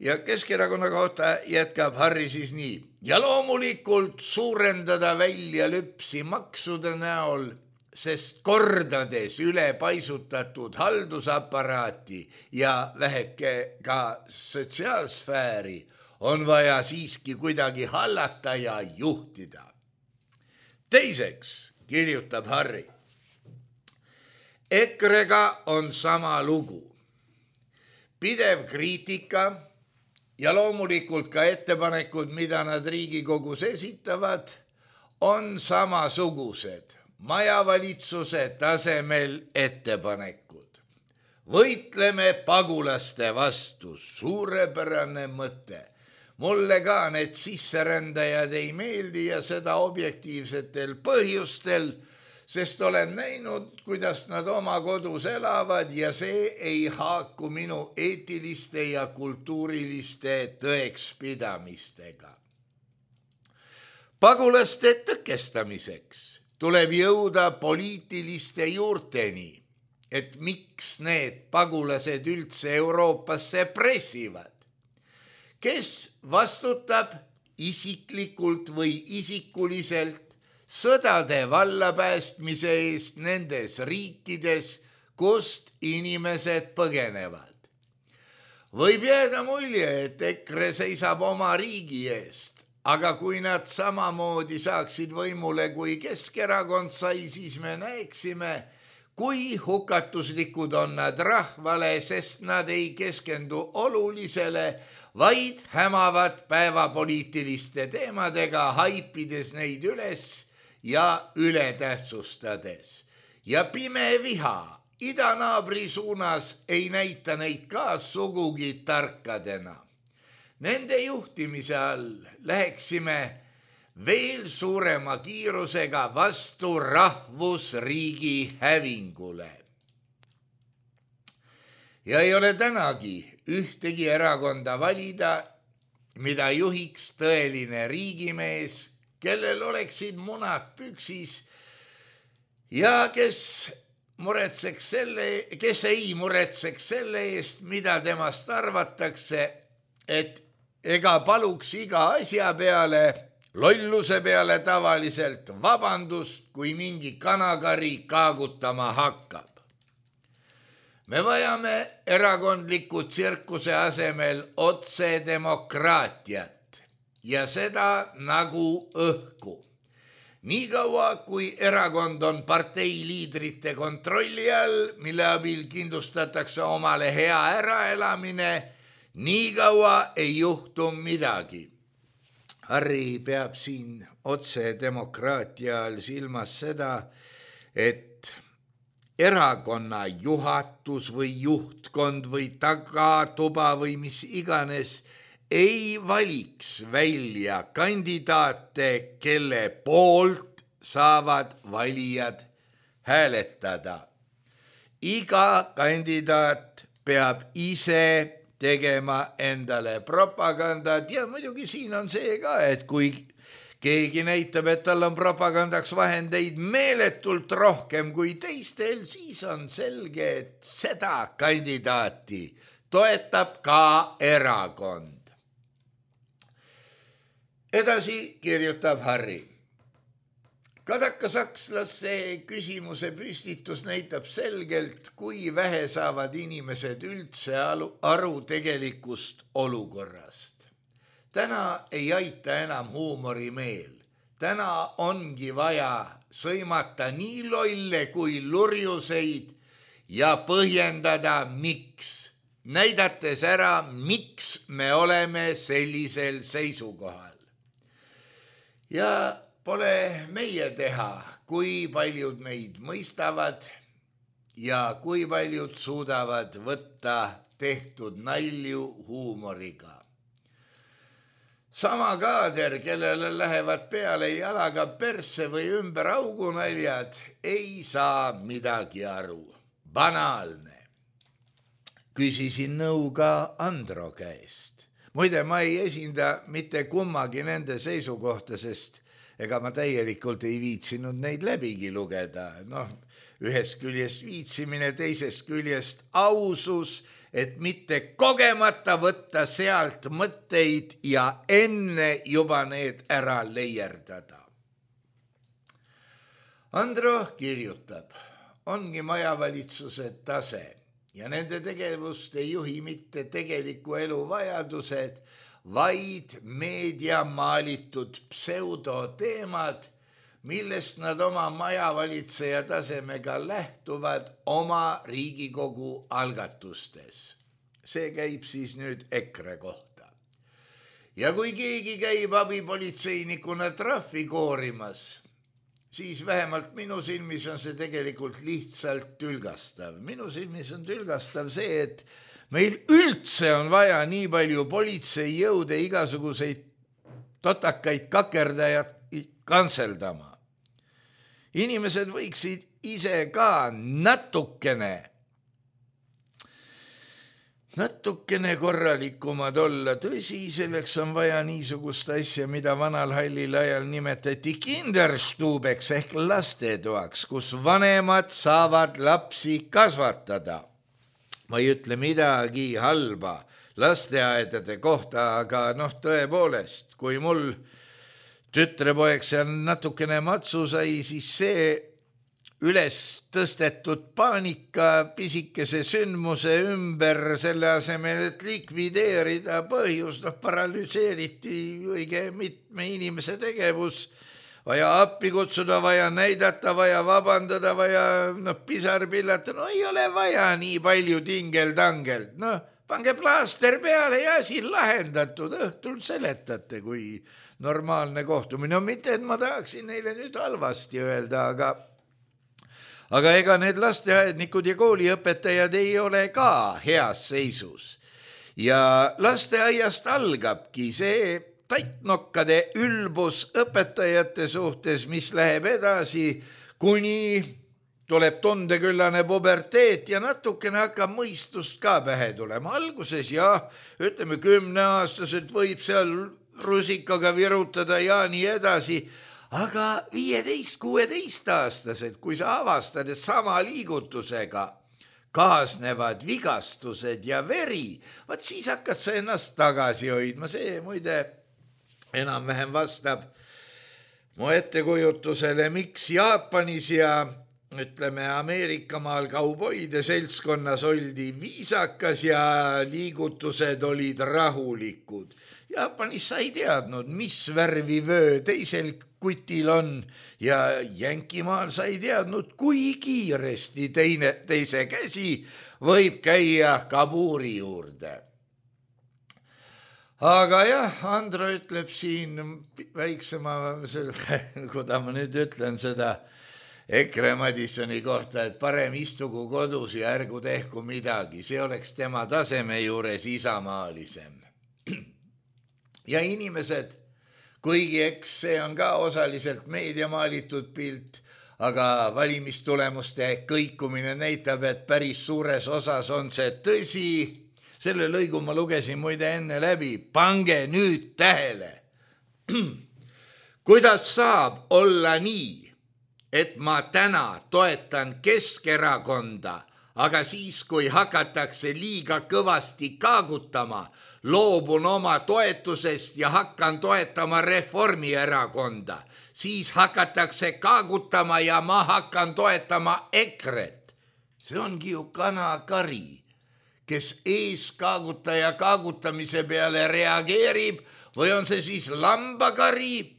Ja Keskerakonna kohta jätkab Harri siis nii. Ja loomulikult suurendada välja lüpsi maksude näol, sest kordades üle paisutatud haldusaparaati ja väheke ka sotsiaalsfääri on vaja siiski kuidagi hallata ja juhtida. Teiseks kirjutab Harri. EKRE-ga on sama lugu. Pidev kriitika ja loomulikult ka ettepanekud, mida nad Riigikogus esitavad, on samasugused majavalitsuse tasemel ettepanekud. Võitleme pagulaste vastu, suurepärane mõte. Mulle ka need sisserändajad ei meeldi ja seda objektiivsetel põhjustel, sest olen näinud, kuidas nad oma kodus elavad ja see ei haaku minu eetiliste ja kultuuriliste tõekspidamistega. Pagulaste tõkestamiseks tuleb jõuda poliitiliste juurteni, et miks need pagulased üldse Euroopasse pressivad. Kes vastutab isiklikult või isikuliselt sõdade vallapäästmise eest nendes riikides, kust inimesed põgenevad? Võib jääda mulje, et EKRE seisab oma riigi eest, aga kui nad samamoodi saaksid võimule kui Keskerakond sai, siis me näeksime, kui hukatuslikud on nad rahvale, sest nad ei keskendu olulisele, vaid hämavad päevapoliitiliste teemadega, haipides neid üles ja ületähtsustades. Ja pime viha idanaabri suunas ei näita neid ka sugugi tarkadena. Nende juhtimise all läheksime veel suurema kiirusega vastu rahvusriigi hävingule. Ja ei ole tänagi ühtegi erakonda valida, mida juhiks tõeline riigimees, kellel oleksid munad püksis ja kes ei muretseks selle eest, mida temast arvatakse, et ega paluks iga asja peale, lolluse peale tavaliselt vabandust, kui mingi kanakari kaagutama hakkab. Me vajame erakondliku tsirkuse asemel otsedemokraatiat ja seda nagu õhku. Niikaua, kui erakond on partei liidrite kontrolli all, mille abil kindlustatakse omale hea äraelamine, niikaua ei juhtu midagi. Harri peab siin otsedemokraatia all silmas seda, et erakonna juhatus või juhtkond või tagatuba või mis iganes ei valiks välja kandidaate, kelle poolt saavad valijad hääletada. Iga kandidaat peab ise tegema endale propagandat ja muidugi siin on see ka, et kui keegi näitab, et tal on propagandaks vahendeid meeletult rohkem kui teistel, siis on selge, et seda kandidaati toetab ka erakond. Edasi kirjutab Harri. Kadakasakslasse küsimuse püstitus näitab selgelt, kui vähe saavad inimesed üldse aru tegelikust olukorrast. Täna ei aita enam huumorimeel. Täna ongi vaja sõimata nii lolle kui lurjuseid ja põhjendada miks. Näidates ära, miks me oleme sellisel seisukohal. Ja pole meie teha, kui paljud meid mõistavad ja kui paljud suudavad võtta tehtud nalju huumoriga. Sama kaader, kellele lähevad peale jalaga persse või ümber augunaljad, ei saa midagi aru. Banaalne. Küsisin nõu ka Andro käest. Muide, ma ei esinda mitte kummagi nende seisukohta, sest ega ma täielikult ei viitsinud neid läbigi lugeda. Ühest küljest viitsimine, teisest küljest ausus, et mitte kogemata võtta sealt mõtteid ja enne juba need ära leierdada. Andro kirjutab, ongi majavalitsuse tase ja nende tegevust ei juhi mitte tegeliku elu vajadused, vaid meedia maalitud pseudoteemad, millest nad oma majavalitseja tasemega lähtuvad oma Riigikogu algatustes. See käib siis nüüd EKRE kohta. Ja kui keegi käib abipolitseinikuna trahvi koorimas, siis vähemalt minu silmis on see tegelikult lihtsalt tülgastav. Minu silmis on tülgastav see, et meil üldse on vaja nii palju politseijõude igasuguseid totakaid kakerdajad kantseldama. Inimesed võiksid ise ka natukene korralikumad olla. Tõsi, selleks on vaja niisugust asja, mida vanal hallil ajal nimetati kinderstubeks ehk lastetoaks, kus vanemad saavad lapsi kasvatada. Ma ei ütle midagi halba lasteaedade kohta, aga tõepoolest, kui mul tütrepoeg seal natukene matsu sai, siis see üles tõstetud paanika pisikese sündmuse ümber selle asemel, et likvideerida põhjus, paralüseeriti õige mitme inimese tegevus, vaja appi kutsuda, vaja näidata, vaja vabandada, vaja pisar pillata, ei ole vaja nii palju tingeldangelt, pange plaaster peale ja asi lahendatud, õhtul seletate, kui normaalne kohtumine. Mitte, et ma tahaksin neile nüüd halvasti öelda, aga ega need lasteaednikud ja kooliõpetajad ei ole ka heas seisus. Ja lasteaiast algabki see taitnokkade ülbus õpetajate suhtes, mis läheb edasi, kuni tuleb tundeküllane puberteet ja natukene hakkab mõistust ka pähe tulema. Alguses ütleme 10-aastaselt võib seal rusikaga virutada ja nii edasi, aga 15-16-aastaselt, kui sa avastad, et sama liigutusega kaasnevad vigastused ja veri, siis hakkad sa ennast tagasi hoidma. See muide enam-vähem vastab mu ettekujutusele, miks Jaapanis ja ütleme Ameerikamaal kauboide seltskonnas oldi viisakas ja liigutused olid rahulikud. Jaapanis sa ei teadnud, mis värvi vöö teisel kutil on ja Jänkimaal sa ei teadnud, kui kiiresti teise käsi võib käia kabuuri juurde. Aga Andro ütleb siin väiksema, kuda ma nüüd ütlen seda EKRE Madissoni kohta, et parem istugu kodus ja ärgu tehku midagi, see oleks tema taseme juures isamaalisem. Ja inimesed, kuigi eks see on ka osaliselt meedia maalitud pilt, aga valimistulemuste kõikumine näitab, et päris suures osas on see tõsi. Selle lõigu ma lugesin muide enne läbi, pange nüüd tähele. Kuidas saab olla nii, et ma täna toetan Keskerakonda, aga siis, kui hakatakse liiga kõvasti kaagutama, loobun oma toetusest ja hakkan toetama Reformierakonda. Siis hakatakse kaagutama ja ma hakkan toetama EKRE-t. See ongi ju kanakari, kes eeskaagutaja kaagutamise peale reageerib, või on see siis lambakari,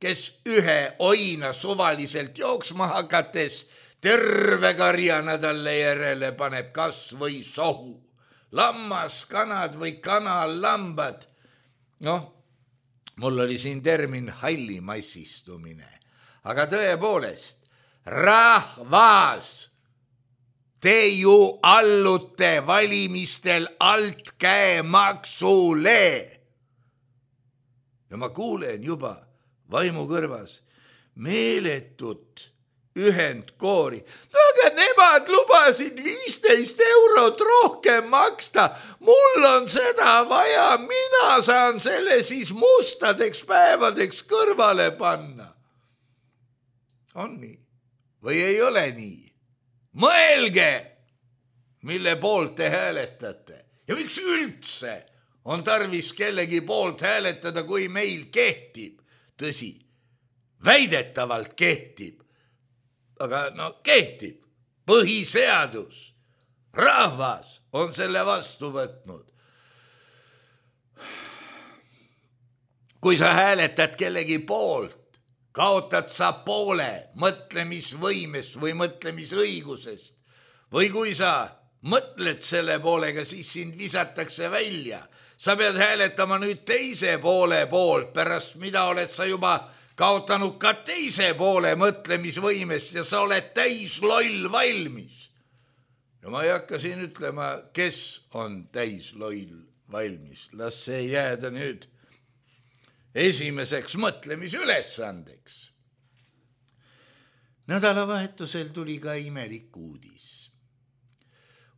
kes ühe oina suvaliselt jooksma hakates terve karjana talle järele paneb kas või sohu. Lammaskanad või kanallambad. Mul oli siin termin hallimassistumine. Aga tõepoolest, rahvas, te ju allute valimistel altkäemaksule. Ja ma kuulen juba vaimukõrvas meeletut ühendkoori. Aga nemad lubasid 15 eurot rohkem maksta. Mul on seda vaja, mina saan selle siis mustadeks päevadeks kõrvale panna. On nii? Või ei ole nii? Mõelge, mille poolt te hääletate. Ja miks üldse on tarvis kellegi poolt hääletada, kui meil kehtib? Tõsi, väidetavalt kehtib. Aga kehtib põhiseadus. Rahvas on selle vastu võtnud. Kui sa hääletad kellegi poolt, kaotad sa poole mõtlemisvõimest või mõtlemisõigusest. Või kui sa mõtled selle poolega, siis sind visatakse välja. Sa pead hääletama nüüd teise poole poolt, pärast mida oled sa juba kaotanud ka teise poole mõtlemisvõimest ja sa oled täis loll valmis. No ma ei hakka siin ütlema, kes on täisloll valmis. Las see jääda nüüd esimeseks mõtlemisülesandeks. Nädalavahetusel tuli ka imelik uudis.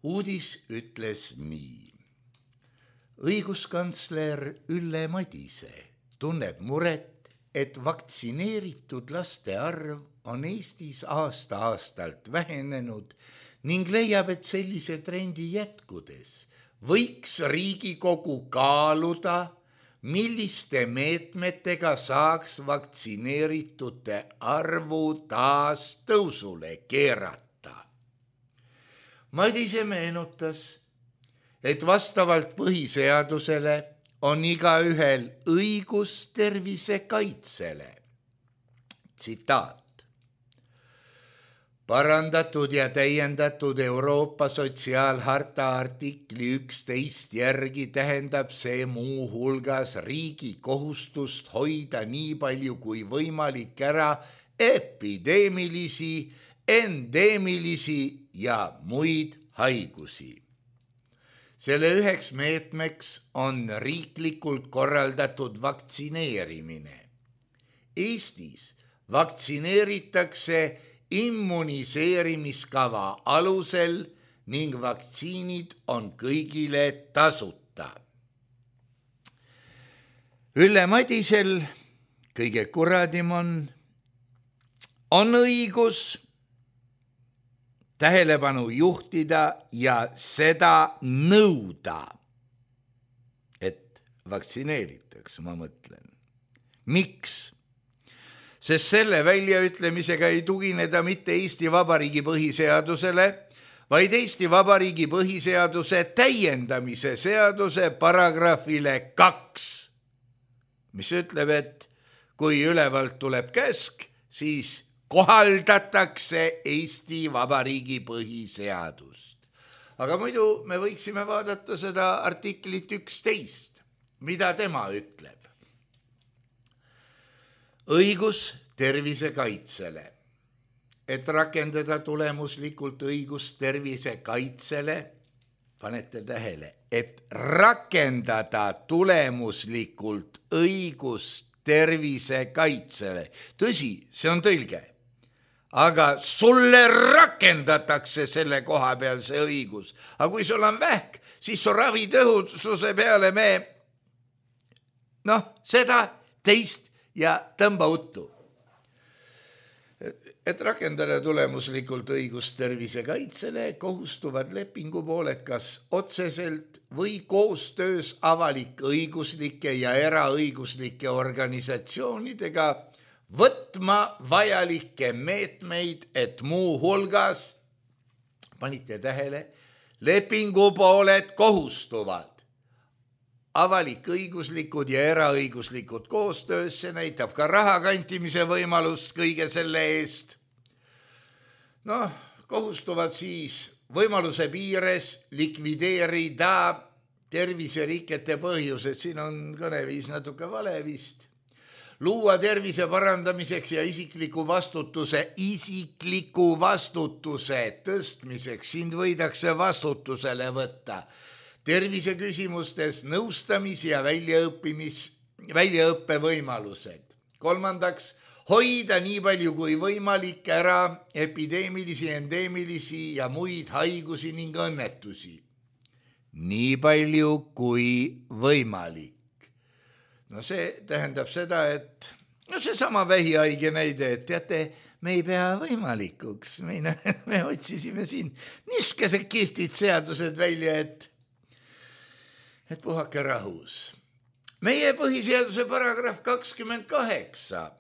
Uudis ütles nii. Õiguskantsler Ülle Madise tunneb muret, et vaktsineeritud laste arv on Eestis aasta-aastalt vähenenud ning leiab, et sellise trendi jätkudes võiks Riigikogu kaaluda, milliste meetmetega saaks vaktsineeritute arvu taas tõusule keerata. Madise meenutas, et vastavalt põhiseadusele on igaühel õigus tervise kaitsele. Tsitaat. Parandatud ja täiendatud Euroopa sotsiaalharta artikli 11 järgi tähendab see muu hulgas riigi kohustust hoida nii palju kui võimalik ära epideemilisi, endeemilisi ja muid haigusi. Selle üheks meetmeks on riiklikult korraldatud vaktsineerimine. Eestis vaktsineeritakse immuniseerimiskava alusel ning vaktsiinid on kõigile tasuta. Ülle Madisel, kõige kuradim on õigus tähelepanu juhtida ja seda nõuda, et vaktsineeritakse, ma mõtlen. Miks? Sest selle väljaütlemisega ei tugineda mitte Eesti Vabariigi põhiseadusele, vaid Eesti Vabariigi põhiseaduse täiendamise seaduse paragrahvile 2, mis ütleb, et kui ülevalt tuleb käsk, siis kohaldatakse Eesti Vabariigi põhiseadust. Aga muidu me võiksime vaadata seda artiklit 11, mida tema ütleb. Õigus tervise kaitsele. Et rakendada tulemuslikult õigus tervise kaitsele, panete tähele, et rakendada tulemuslikult õigus tervise kaitsele. Tõsi, see on tõlge. Aga sulle rakendatakse selle koha peal see õigus. Aga kui sul on vähk, siis su ravitõhususe peale me seda teist ja tõmba uttu. Et rakendada tulemuslikult õigust tervise kaitsele, kohustuvad lepingupooled kas otseselt või koostöös avalik-õiguslike ja eraõiguslike organisatsioonidega võtma vajalikke meetmeid, et muu hulgas, panite tähele, lepingupooled kohustuvad. Avalik-õiguslikud ja eraõiguslikud koostöös, see näitab ka raha kantimise võimalust kõige selle eest. Kohustuvad siis võimaluse piires likvideerida terviserikete põhjused, siin on kõneviis natuke vale vist. Luua tervise parandamiseks ja isikliku vastutuse tõstmiseks, sind võidakse vastutusele võtta. Tervise küsimustes nõustamis- ja väljaõppe võimalused. 3. Hoida nii palju kui võimalik ära epideemilisi, endeemilisi ja muid haigusi ning õnnetusi. Nii palju kui võimalik. See tähendab seda, et seesama vähihaige näide, et teate, me ei pea võimalikuks. Me otsisime siin niisugused kihvtid seadused välja, et puhake rahus. Meie põhiseaduse paragrahv 28,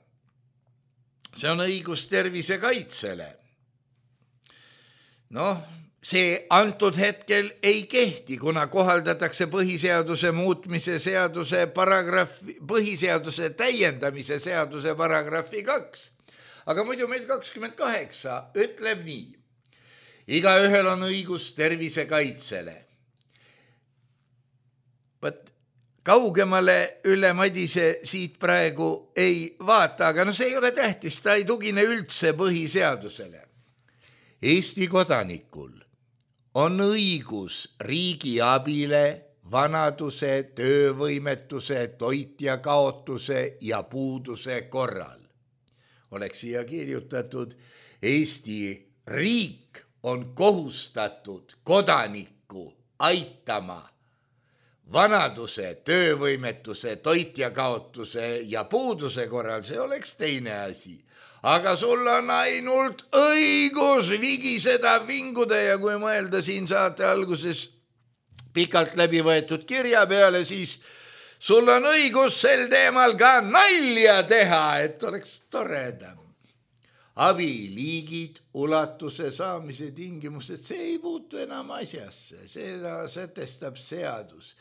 see on õigus tervise kaitsele. See antud hetkel ei kehti, kuna kohaldatakse põhiseaduse muutmise seaduse põhiseaduse täiendamise seaduse paragrahvi 2. Aga muidu meil 28 ütleb nii. Igaühel on õigus tervise kaitsele. Kaugemale Ülle Madise siit praegu ei vaata, aga see ei ole tähtis, ta ei tugine üldse põhiseadusele. Eesti kodanikul on õigus riigi abile vanaduse, töövõimetuse, toitjakaotuse ja puuduse korral. Oleks siia kirjutatud, Eesti riik on kohustatud kodanikku aitama vanaduse, töövõimetuse, toitjakaotuse ja puuduse korral, see oleks teine asi. Aga sul on ainult õigus vigiseda, vinguda ja kui mõelda siin saate alguses pikalt läbi võetud kirja peale, siis sul on õigus sel teemal ka nalja teha, et oleks toredam. Abiliigid, ulatuse saamise tingimused, see ei puutu enam asjasse, seda sätestab seadus.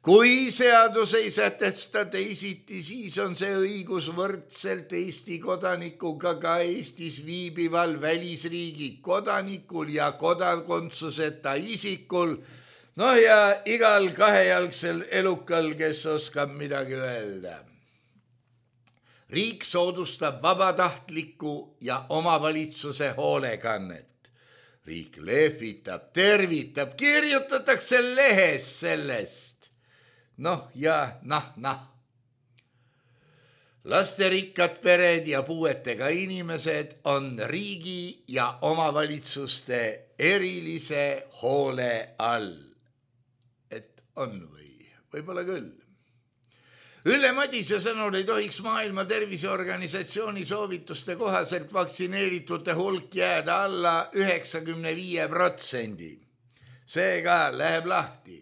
Kui seadus ei sätesta teisiti, siis on see õigus võrdselt Eesti kodanikuga ka Eestis viibival välisriigi kodanikul ja kodakondsuseta isikul, no ja igal kahejalgsel elukal, kes oskab midagi öelda. Riik soodustab vabatahtlikku ja omavalitsuse hoolekannet. Riik lehvitab, tervitab, kirjutatakse lehes sellest. Noh ja nah. Lasterikkad pered ja puuetega inimesed on riigi ja omavalitsuste erilise hoole all. Et on või? Võib-olla küll. Ülle Madise sõnul ei tohiks Maailma Terviseorganisatsiooni soovituste kohaselt vaktsineeritute hulk jääda alla 95%. Seega läheb lahti.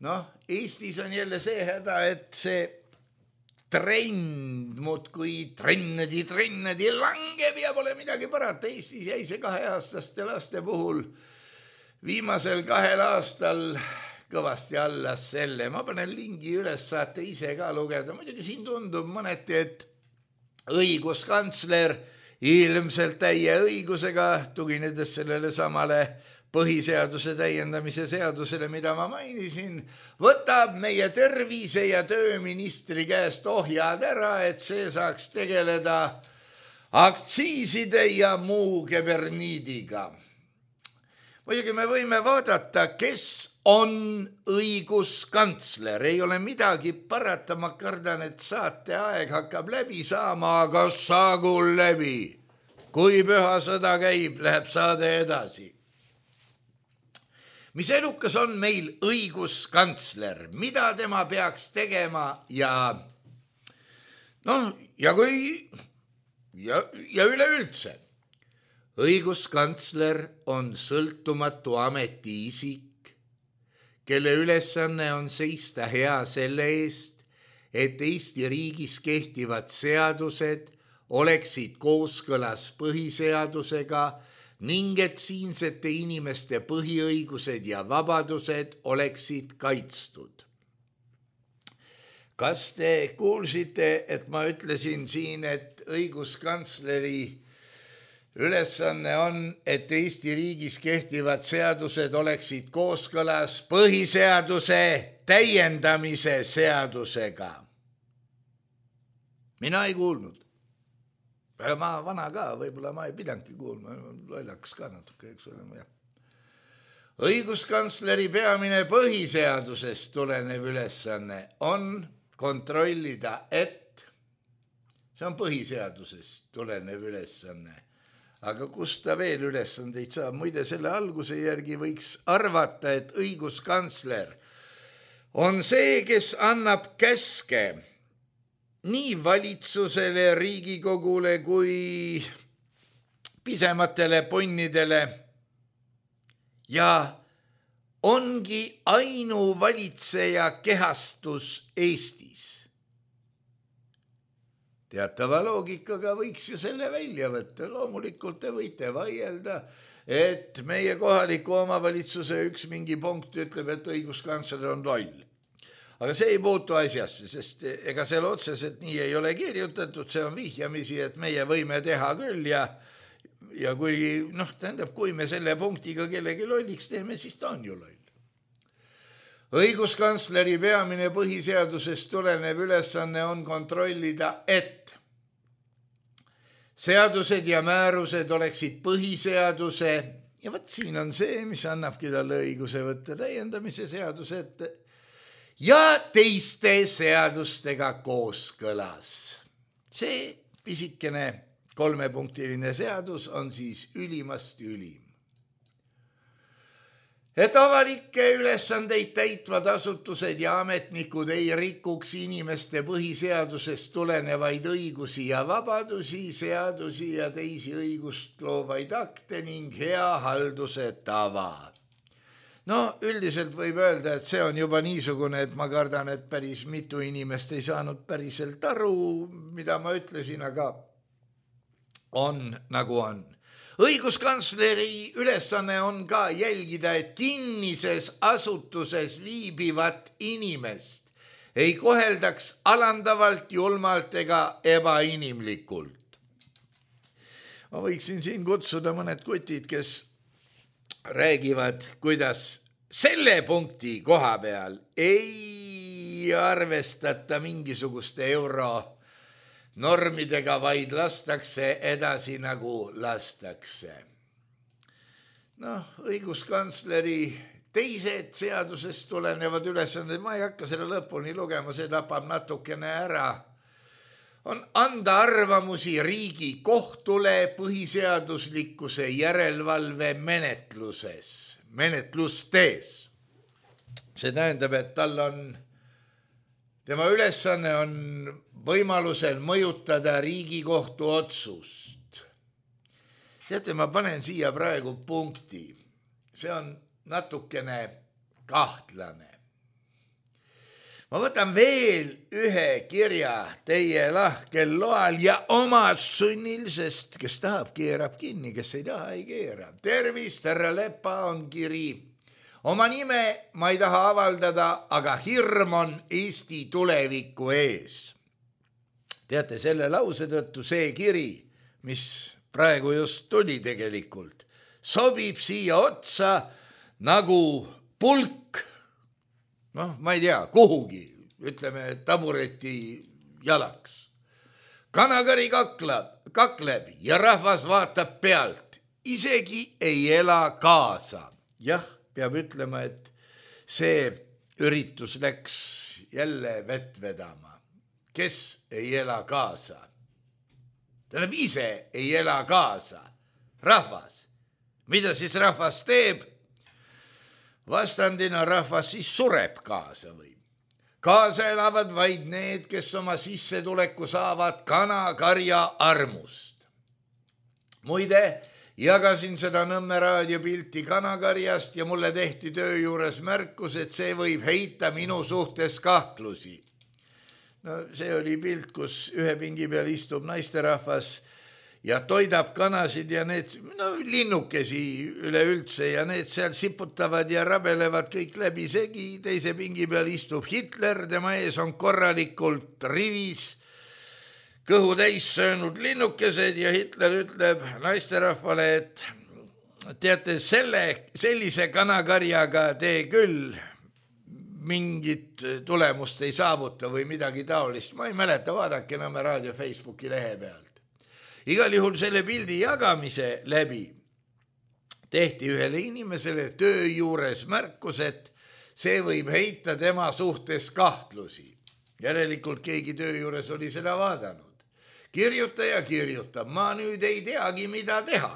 Noh, Eestis on jälle see häda, et see trend muudkui trennedi langeb ja pole midagi parata. Eestis jäi see 2-aastaste laste puhul viimasel 2 aastal kõvasti alla selle. Ma panen lingi üles, saate ise ka lugeda. Muidugi siin tundub mõneti, et õiguskantsler ilmselt täie õigusega, tuginedes sellele samale põhiseaduse täiendamise seadusele, mida ma mainisin, võtab meie tervise- ja tööministri käest ohjad ära, et see saaks tegeleda aktsiiside ja muu keberniidiga. Muidugi me võime vaadata, kes on õiguskantsler. Ei ole midagi parata, ma kardan, et saate aeg hakkab läbi saama, aga saagu läbi. Kui püha sõda käib, läheb saade edasi. Mis elukas on meil õiguskantsler, mida tema peaks tegema ja üleüldse. Õiguskantsler on sõltumatu ametiisik, kelle ülesanne on seista hea selle eest, et Eesti riigis kehtivad seadused oleksid kooskõlas põhiseadusega ning et siinsete inimeste põhiõigused ja vabadused oleksid kaitstud. Kas te kuulsite, et ma ütlesin siin, et õiguskantsleri ülesanne on, et Eesti riigis kehtivad seadused oleksid kooskõlas põhiseaduse täiendamise seadusega? Mina ei kuulnud. Ma vana ka, võib-olla ma ei pidanudki kuulma, lollakas ka natuke, eks ole. Õiguskantsleri peamine põhiseadusest tulenev ülesanne on kontrollida, et see on põhiseadusest tulenev ülesanne. Aga kust ta veel ülesandeid saab? Muide, selle alguse järgi võiks arvata, et õiguskantsler on see, kes annab käske nii valitsusele, Riigikogule kui pisematele ponnidele ja ongi ainuvalitseja kehastus Eestis. Teatava loogikaga võiks ju selle välja võtta. Loomulikult te võite vaielda, et meie kohaliku omavalitsuse üks mingi punkt ütleb, et õiguskantsler on loll. Aga see ei puutu asjasse, sest ega selle otseselt nii ei ole kirjutatud, see on vihjamisi, et meie võime teha küll ja kui me selle punktiga kellegi lolliks teeme, siis ta on ju loll. Õiguskantsleri peamine põhiseadusest tulenev ülesanne on kontrollida, et seadused ja määrused oleksid põhiseaduse Ja võt siin on see, mis annabki talle õiguse võtta täiendamise seaduse ette ja teiste seadustega kooskõlas. See pisikene 3-punktiline seadus on siis ülimast ülim. Et avalikke ülesandeid täitvad asutused ja ametnikud ei rikuks inimeste põhiseadusest tulenevaid õigusi ja vabadusi, seadusi ja teisi õigust loovaid akte ning hea halduse tava. No üldiselt võib öelda, et see on juba niisugune, et ma kardan, et päris mitu inimest ei saanud päriselt aru, mida ma ütlesin, aga on nagu on. Õiguskantsleri ülesanne on ka jälgida, et kinnises asutuses viibivat inimest ei koheldaks alandavalt, julmalt ega ebainimlikult. Ma võiksin siin kutsuda mõned kutid, kes räägivad, kuidas selle punkti koha peal ei arvestata mingisuguste normidega, vaid lastakse edasi nagu lastakse. Õiguskantsleri teised seadusest tulenevad ülesanded, ma ei hakka selle lõpuni lugema, see tapab natukene ära, on anda arvamusi riigi kohtule põhiseaduslikkuse järelevalve menetlustes. See tähendab, et tema ülesanne on võimalusel mõjutada Riigikohtu otsust. Teate, ma panen siia praegu punkti. See on natukene kahtlane. Ma võtan veel ühe kirja teie lahkel loal ja oma sunnil, sest kes tahab, keerab kinni, kes ei taha, ei keera. Tervist, härra Lepa on kiri. Oma nime ma ei taha avaldada, aga hirm on Eesti tuleviku ees. Teate, selle lause tõttu see kiri, mis praegu just tuli tegelikult, sobib siia otsa nagu pulk, ma ei tea, kuhugi, ütleme tabureti jalaks. Kanakari kakleb ja rahvas vaatab pealt, isegi ei ela kaasa. Jah, peab ütlema, et see üritus läks jälle vett vedama. Kes ei ela kaasa? Tähendab, ise ei ela kaasa. Rahvas. Mida siis rahvas teeb? Vastandina rahvas siis sureb kaasa või? Kaasa elavad vaid need, kes oma sissetuleku saavad kanakarja armust. Muide, jagasin seda Nõmme raadio pilti kanakarjast ja mulle tehti töö juures märkus, et see võib heita minu suhtes kahtlusi. See oli pilt, kus ühe pingi peal istub naisterahvas ja toidab kanasid ja need linnukesi üleüldse ja need seal siputavad ja rabelevad kõik läbi segi. Teise pingi peal istub Hitler, tema ees on korralikult rivis kõhu täis söönud linnukesed ja Hitler ütleb naisterahvale, et teate, sellise kanakarjaga te küll mingit tulemust ei saavuta või midagi taolist. Ma ei mäleta, vaadake Nõmme raadio Facebooki lehe pealt. Igal juhul selle pildi jagamise läbi tehti ühele inimesele töö juures märkus, et see võib heita tema suhtes kahtlusi. Järelikult keegi töö juures oli seda vaadanud. Kirjutaja kirjutab, ma nüüd ei teagi, mida teha.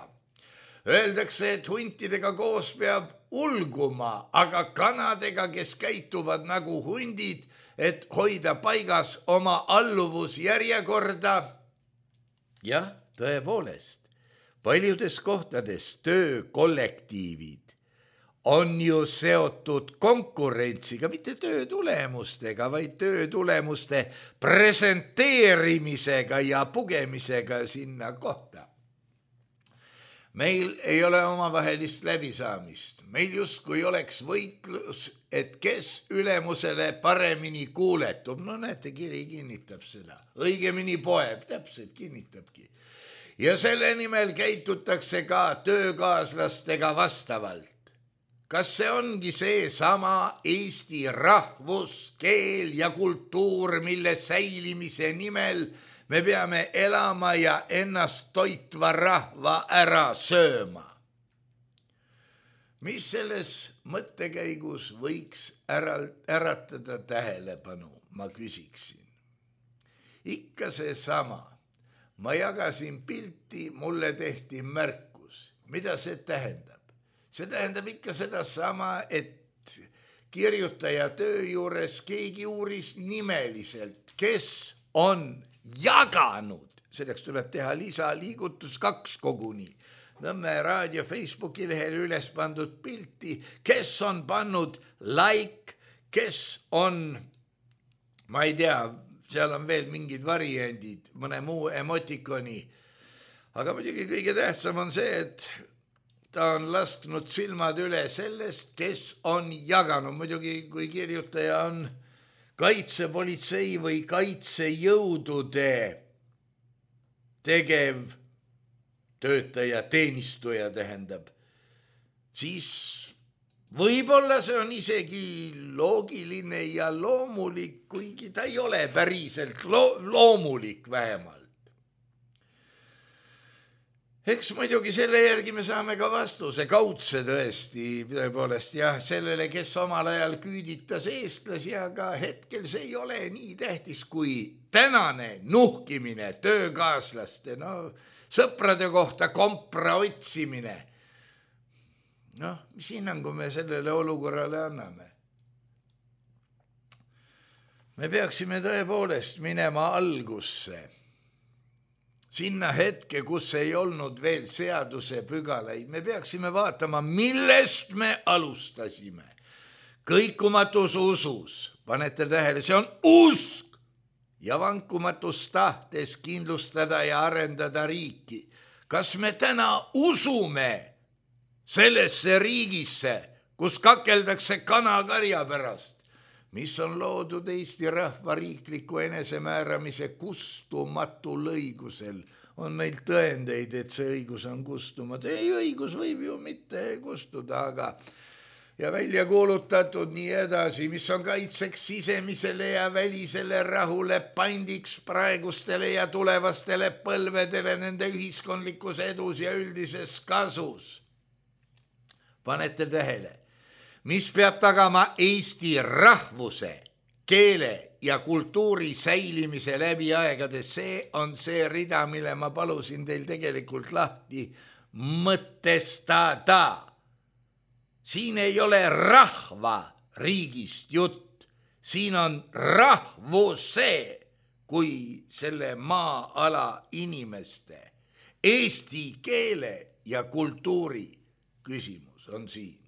Öeldakse, et huntidega koos peab ulguma, aga kanadega, kes käituvad nagu hundid, et hoida paigas oma alluvusjärjekorda. Jah, tõepoolest, paljudes kohtades töökollektiivid on ju seotud konkurentsiga, mitte töö tulemustega, vaid töö tulemuste presenteerimisega ja pugemisega sinna kohta. Meil ei ole omavahelist läbisaamist. Meil justkui oleks võitlus, et kes ülemusele paremini kuuletub. Näete, kiri kinnitab seda. Õigemini poeb, täpselt kinnitabki. Ja selle nimel käitutakse ka töökaaslastega vastavalt. Kas see ongi see sama Eesti rahvus, keel ja kultuur, mille säilimise nimel me peame elama ja ennast toitva rahva ära sööma? mis selles mõttekäigus võiks äratada tähelepanu, ma küsiksin. Ikka seesama. Ma jagasin pilti, mulle tehti märkus. Mida see tähendab? See tähendab ikka sedasama, et kirjutaja töö juures keegi uuris nimeliselt, kes on jaganud. Selleks tuleb teha lisaliigutus 2 koguni. Nõmme raadio Facebooki lehel üles pandud pilti, kes on pannud like, kes on, ma ei tea, seal on veel mingid variandid, mõne muu emotikoni. Aga muidugi kõige tähtsam on see, et ta on lasknud silmad üle sellest, kes on jaganud. Muidugi kui kirjutaja on kaitsepolitsei või kaitsejõudude tegev töötaja, teenistuja tähendab, siis võib-olla see on isegi loogiline ja loomulik, kuigi ta ei ole päriselt loomulik vähemalt. Eks muidugi selle järgi me saame ka vastuse, kaudse tõesti, tõepoolest jah, sellele, kes omal ajal küüditas eestlasi, aga hetkel see ei ole nii tähtis kui tänane nuhkimine töökaaslaste, sõprade kohta kompra otsimine. Mis hinnangu me sellele olukorrale anname? Me peaksime tõepoolest minema algusse. Sinna hetke, kus ei olnud veel seaduse pügalaid, me peaksime vaatama, millest me alustasime. Kõikumatus usus, panete tähele, see on usk ja vankumatus tahtes kindlustada ja arendada riiki. Kas me täna usume sellesse riigisse, kus kakeldakse kanakarja pärast, mis on loodud Eesti rahva riikliku enesemääramise kustumatul õigusel? On meil tõendeid, et see õigus on kustumatu. Ei, õigus võib ju mitte kustuda, aga ja välja kuulutatud nii edasi, mis on kaitseks sisemisele ja välisele rahule, pandiks praegustele ja tulevastele põlvedele nende ühiskondlikus edus ja üldises kasus. Panete tähele, mis peab tagama Eesti rahvuse, keele ja kultuuri säilimise läbi aegade. See on see rida, mille ma palusin teil tegelikult lahti mõtestada. Siin ei ole rahva riigist jutt, siin on rahvuse kui selle maa-ala inimeste, eesti keele ja kultuuri küsimus on siin.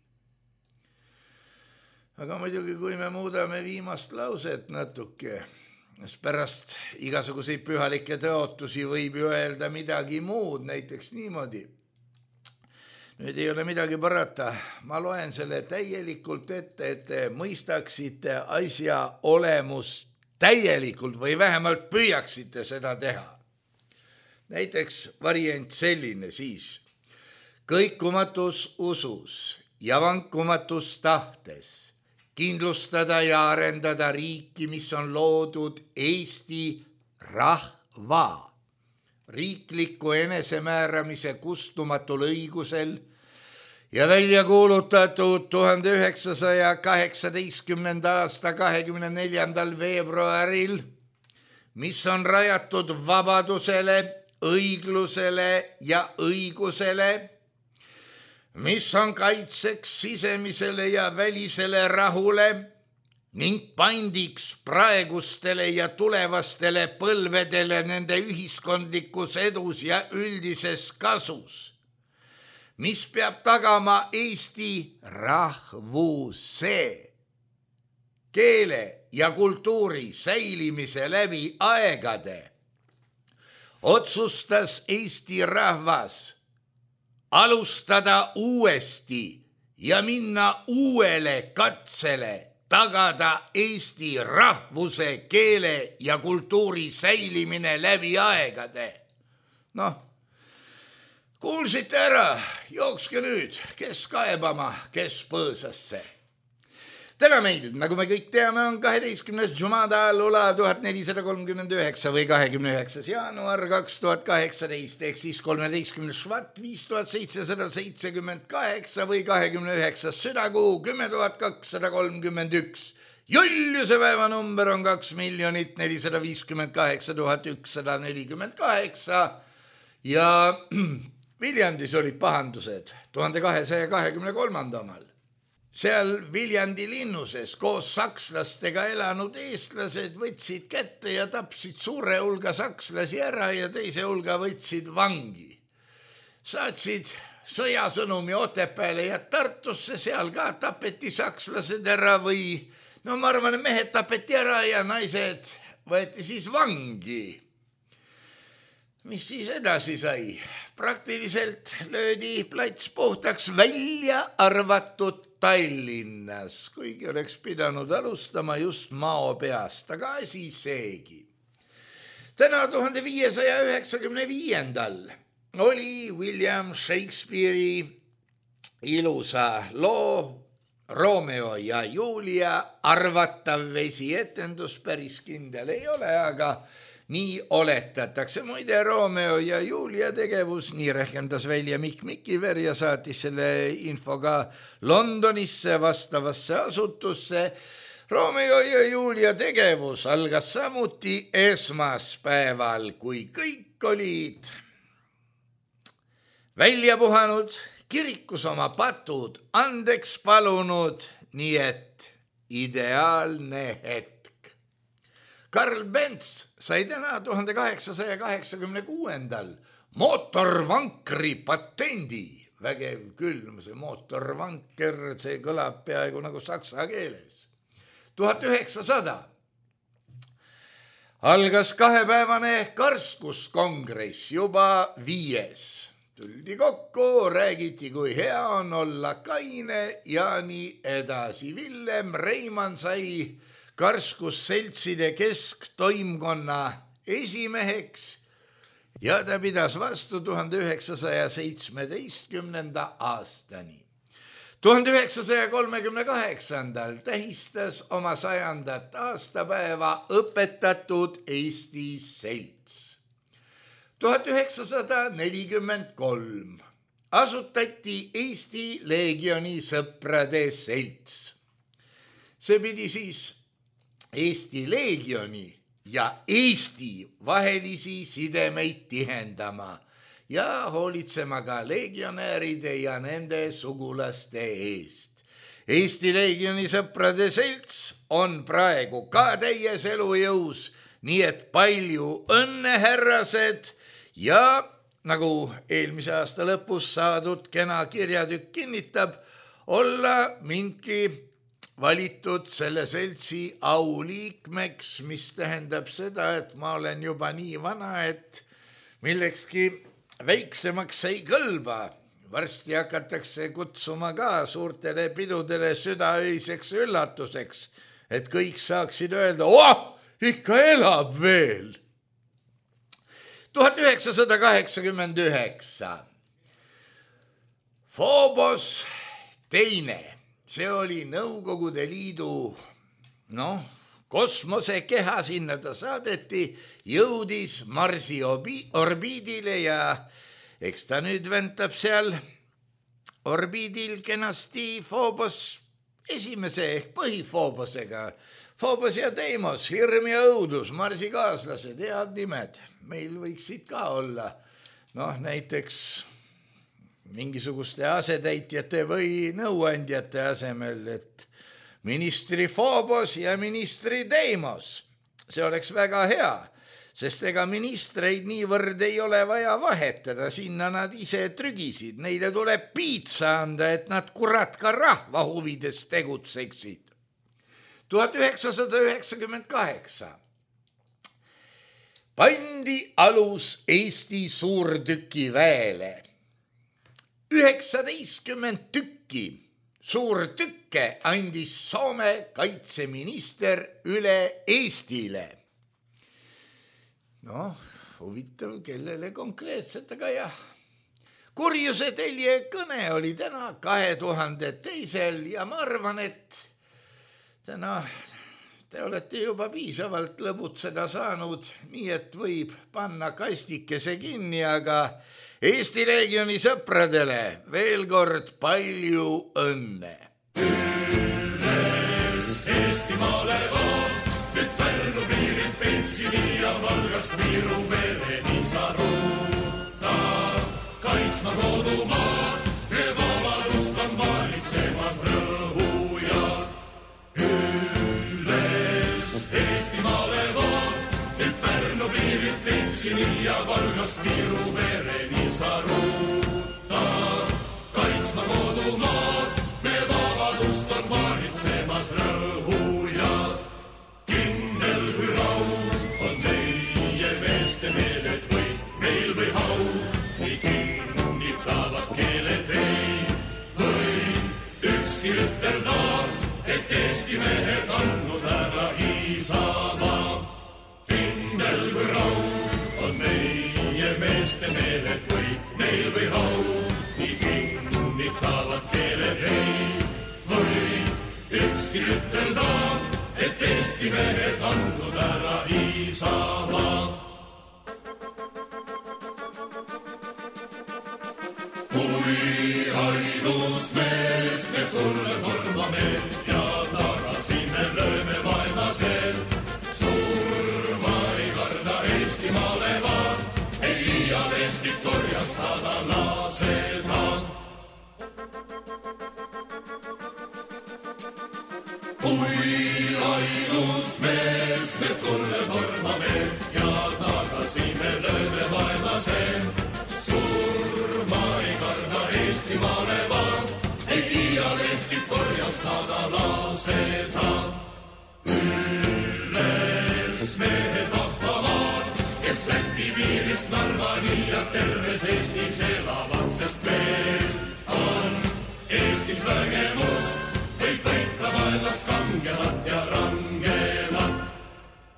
Aga muidugi, kui me muudame viimast lauset natuke, sest pärast igasuguseid pühalikke tõotusi võib ju öelda midagi muud, näiteks niimoodi. Nüüd ei ole midagi parata, ma loen selle täielikult ette, et te mõistaksite asja olemust täielikult või vähemalt püüaksite seda teha. Näiteks variant selline siis. Kõikumatus usus ja vankumatus tahtes kindlustada ja arendada riiki, mis on loodud Eesti rahva riikliku enesemääramise kustumatul õigusel ja välja kuulutatud 1918. aasta 24. veebruaril, mis on rajatud vabadusele, õiglusele ja õigusele, mis on kaitseks sisemisele ja välisele rahule ning pandiks praegustele ja tulevastele põlvedele nende ühiskondlikus edus ja üldises kasus, mis peab tagama Eesti rahvuse, keele ja kultuuri säilimise läbi aegade, otsustas Eesti rahvas alustada uuesti ja minna uuele katsele tagada Eesti rahvuse, keele ja kultuuri säilimine läbi aegade. Kuulsite ära, jookske nüüd, kes kaebama, kes põõsasse. Täna meil, nagu me kõik teame, on 12. Jumada al-Ula 1439 või 29. jaanuar 2018 ehk siis 13. Švat 5778 või 29. südakuu 10231. Juliuse päevanumber on 2 458 148 ja Viljandis olid pahandused 1223. omal. Seal Viljandi linnuses koos sakslastega elanud eestlased võtsid kätte ja tapsid suure hulga sakslasi ära ja teise hulga võtsid vangi. Saatsid sõjasõnumi Otepääle ja Tartusse, seal ka tapeti sakslased ära või ma arvan, et mehed tapeti ära ja naised võeti siis vangi. Mis siis edasi sai? Praktiliselt löödi plats puhtaks, välja arvatud Tallinnas, kuigi oleks pidanud alustama just Maopeast, aga asi seegi. Täna 1595. oli William Shakespeare'i ilusa loo Romeo ja Julia arvatav vesietendus, päris kindel ei ole, aga nii oletatakse. Muide, Romeo ja Julia tegevus, nii rehkendas välja Mikk Mikiver ja saatis selle info ka Londonisse vastavasse asutusse. Romeo ja Julia tegevus algas samuti esmaspäeval, kui kõik olid välja puhanud, kirikus oma patud andeks palunud, nii et ideaalne hetk. Karl Benz sai täna 1886. mootorvankri patendi. Vägev küll, see mootorvanker, see kõlab peaaegu nagu saksa keeles. 1900. algas 2-päevane karskuskongress, juba 5. Tuldi kokku, räägiti, kui hea on olla kaine ja nii edasi. Villem Reimann sai karskusseltside kesktoimkonna esimeheks ja ta pidas vastu 1917. aastani. 1938. tähistas oma 100. aastapäeva õpetatud Eesti selts. 1943 asutati Eesti Leegioni sõprade selts. See pidi siis Eesti Leegioni ja Eesti vahelisi sidemeid tihendama ja hoolitsema ka legionääride ja nende sugulaste eest. Eesti Leegioni sõprade selts on praegu ka täies elujõus, nii et palju õnne, härrased, ja nagu eelmise aasta lõpus saadud kena kirjatükk kinnitab, olla mindki valitud selle seltsi auliikmeks, mis tähendab seda, et ma olen juba nii vana, et millekski väiksemaks ei kõlba. Varsti hakatakse kutsuma ka suurtele pidudele südaöiseks üllatuseks, et kõik saaksid öelda, ikka elab veel. 1989. Phobos teine, see oli Nõukogude Liidu, kosmosekeha, sinna ta saadeti, jõudis Marsi orbiidile ja eks ta nüüd ventab seal orbiidil kenasti Phobos esimese ehk põhifoobosega. Phobos ja Deimos, hirm ja õudus, Marsi kaaslased, head nimed. Meil võiksid ka olla, näiteks mingisuguste asetäitjate või nõuandjate asemel, et ministri Phobos ja ministri Deimos. See oleks väga hea, sest ega ministreid niivõrd ei ole vaja vahetada, sinna nad ise trügisid. Neile tuleb piitsa anda, et nad kurat ka rahva huvides tegutseksid. 1998. Pandi alus Eesti suurtükiväele. 19 tükki suurtükke andis Soome kaitseminister üle Eestile. Huvitav, kellele konkreetselt, aga jah. Kurjuse telje kõne oli täna 2002. ja ma arvan, et Te olete juba piisavalt lõbutseda saanud, nii et võib panna kastikese kinni, aga Eesti Leegioni sõpradele veel kord palju õnne. Üles Eestimaale vaat, nüüd Pärnu piirilt Pentsini ja Valgast Viru vereni sa ruuta. Kaitsma kodumaad, me vabadust on valitsemas rõhujad. Üles Eestimaale vaat, nüüd Pärnu piirilt Pentsini ja Valgast Viru vereni sa ruuta. Kaitsma kodumaad, me vabadust on valitsemas rõhujad. Kindel kui raud on meie meeste meeled võit meil või hau, nii kinnitavad keeled ei või ükski ütelda, et Eesti mehed andnud ära Isamaa. Kindel kui raud on meie meeste meeled võit meil või hau, nii kinnitavad keeled ei või ükski ütelda, et Eesti mehed andnud ära Isamaa. Kui ainus mees me tulle tormame ja tagasi me lööme vaenlasel, surma ei karda Eestimaale vaan, ei iial Eestit korjastada laseda. Kui ainus mees me tulle tormame ja tagasi me lööme vaenlasel, surma ei karda Eestimaale vaan, ei iial Eestit korjastada laseda. Üles mehed vahvamaad, kes Läti piirist Narvani ja terves Eestis elavad, sest meil on Eestis vägemus, võib võita vaenlast kangemat ja rangemat.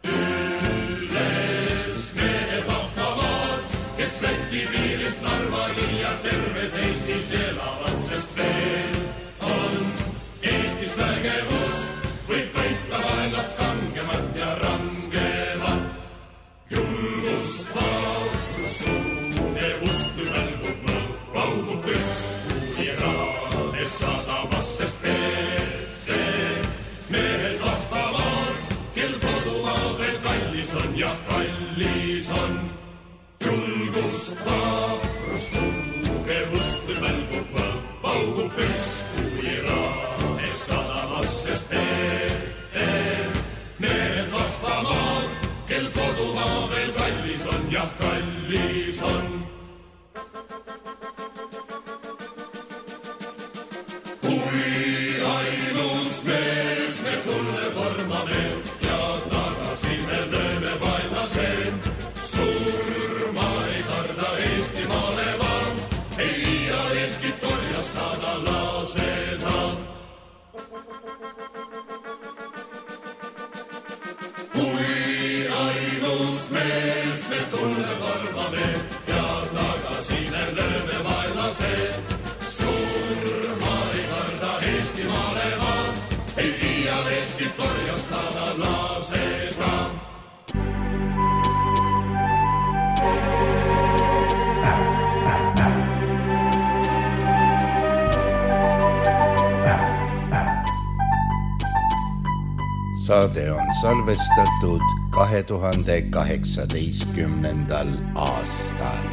Üles mehed vahvamaad, kes Läti piirist Narvani ja terves Eestis elavad, sest meil on Eestis vägemus, võib võita vaenlast kangemat ja rangemat. Julgust vaurust tunnevust, kui välgub mõõg, paugub püsku Iraades sadamas, sest mehed vahvamaad, kel kodumaa veel kallis on ja kallis on. Julgust vaurust tugevust, kui välgub mõõg, paugub püsku Iraades sadamas, sest mehed vahvamaad, kel kodumaa veel kallis on ja kallis on. Kui ainus mees me tulle tormame ja tagasi me lööme vaenlasel, surma ei karda Eestimaale vaan, ei iial Eestit korjastada laseda. Kui ainus mees me tulle tormame ja tagasi me lööme vaenlasel, surma ei karda Eestimaale vaan, ei iial Eestit korjastada laseda. Saade on salvestatud 2018. aastal.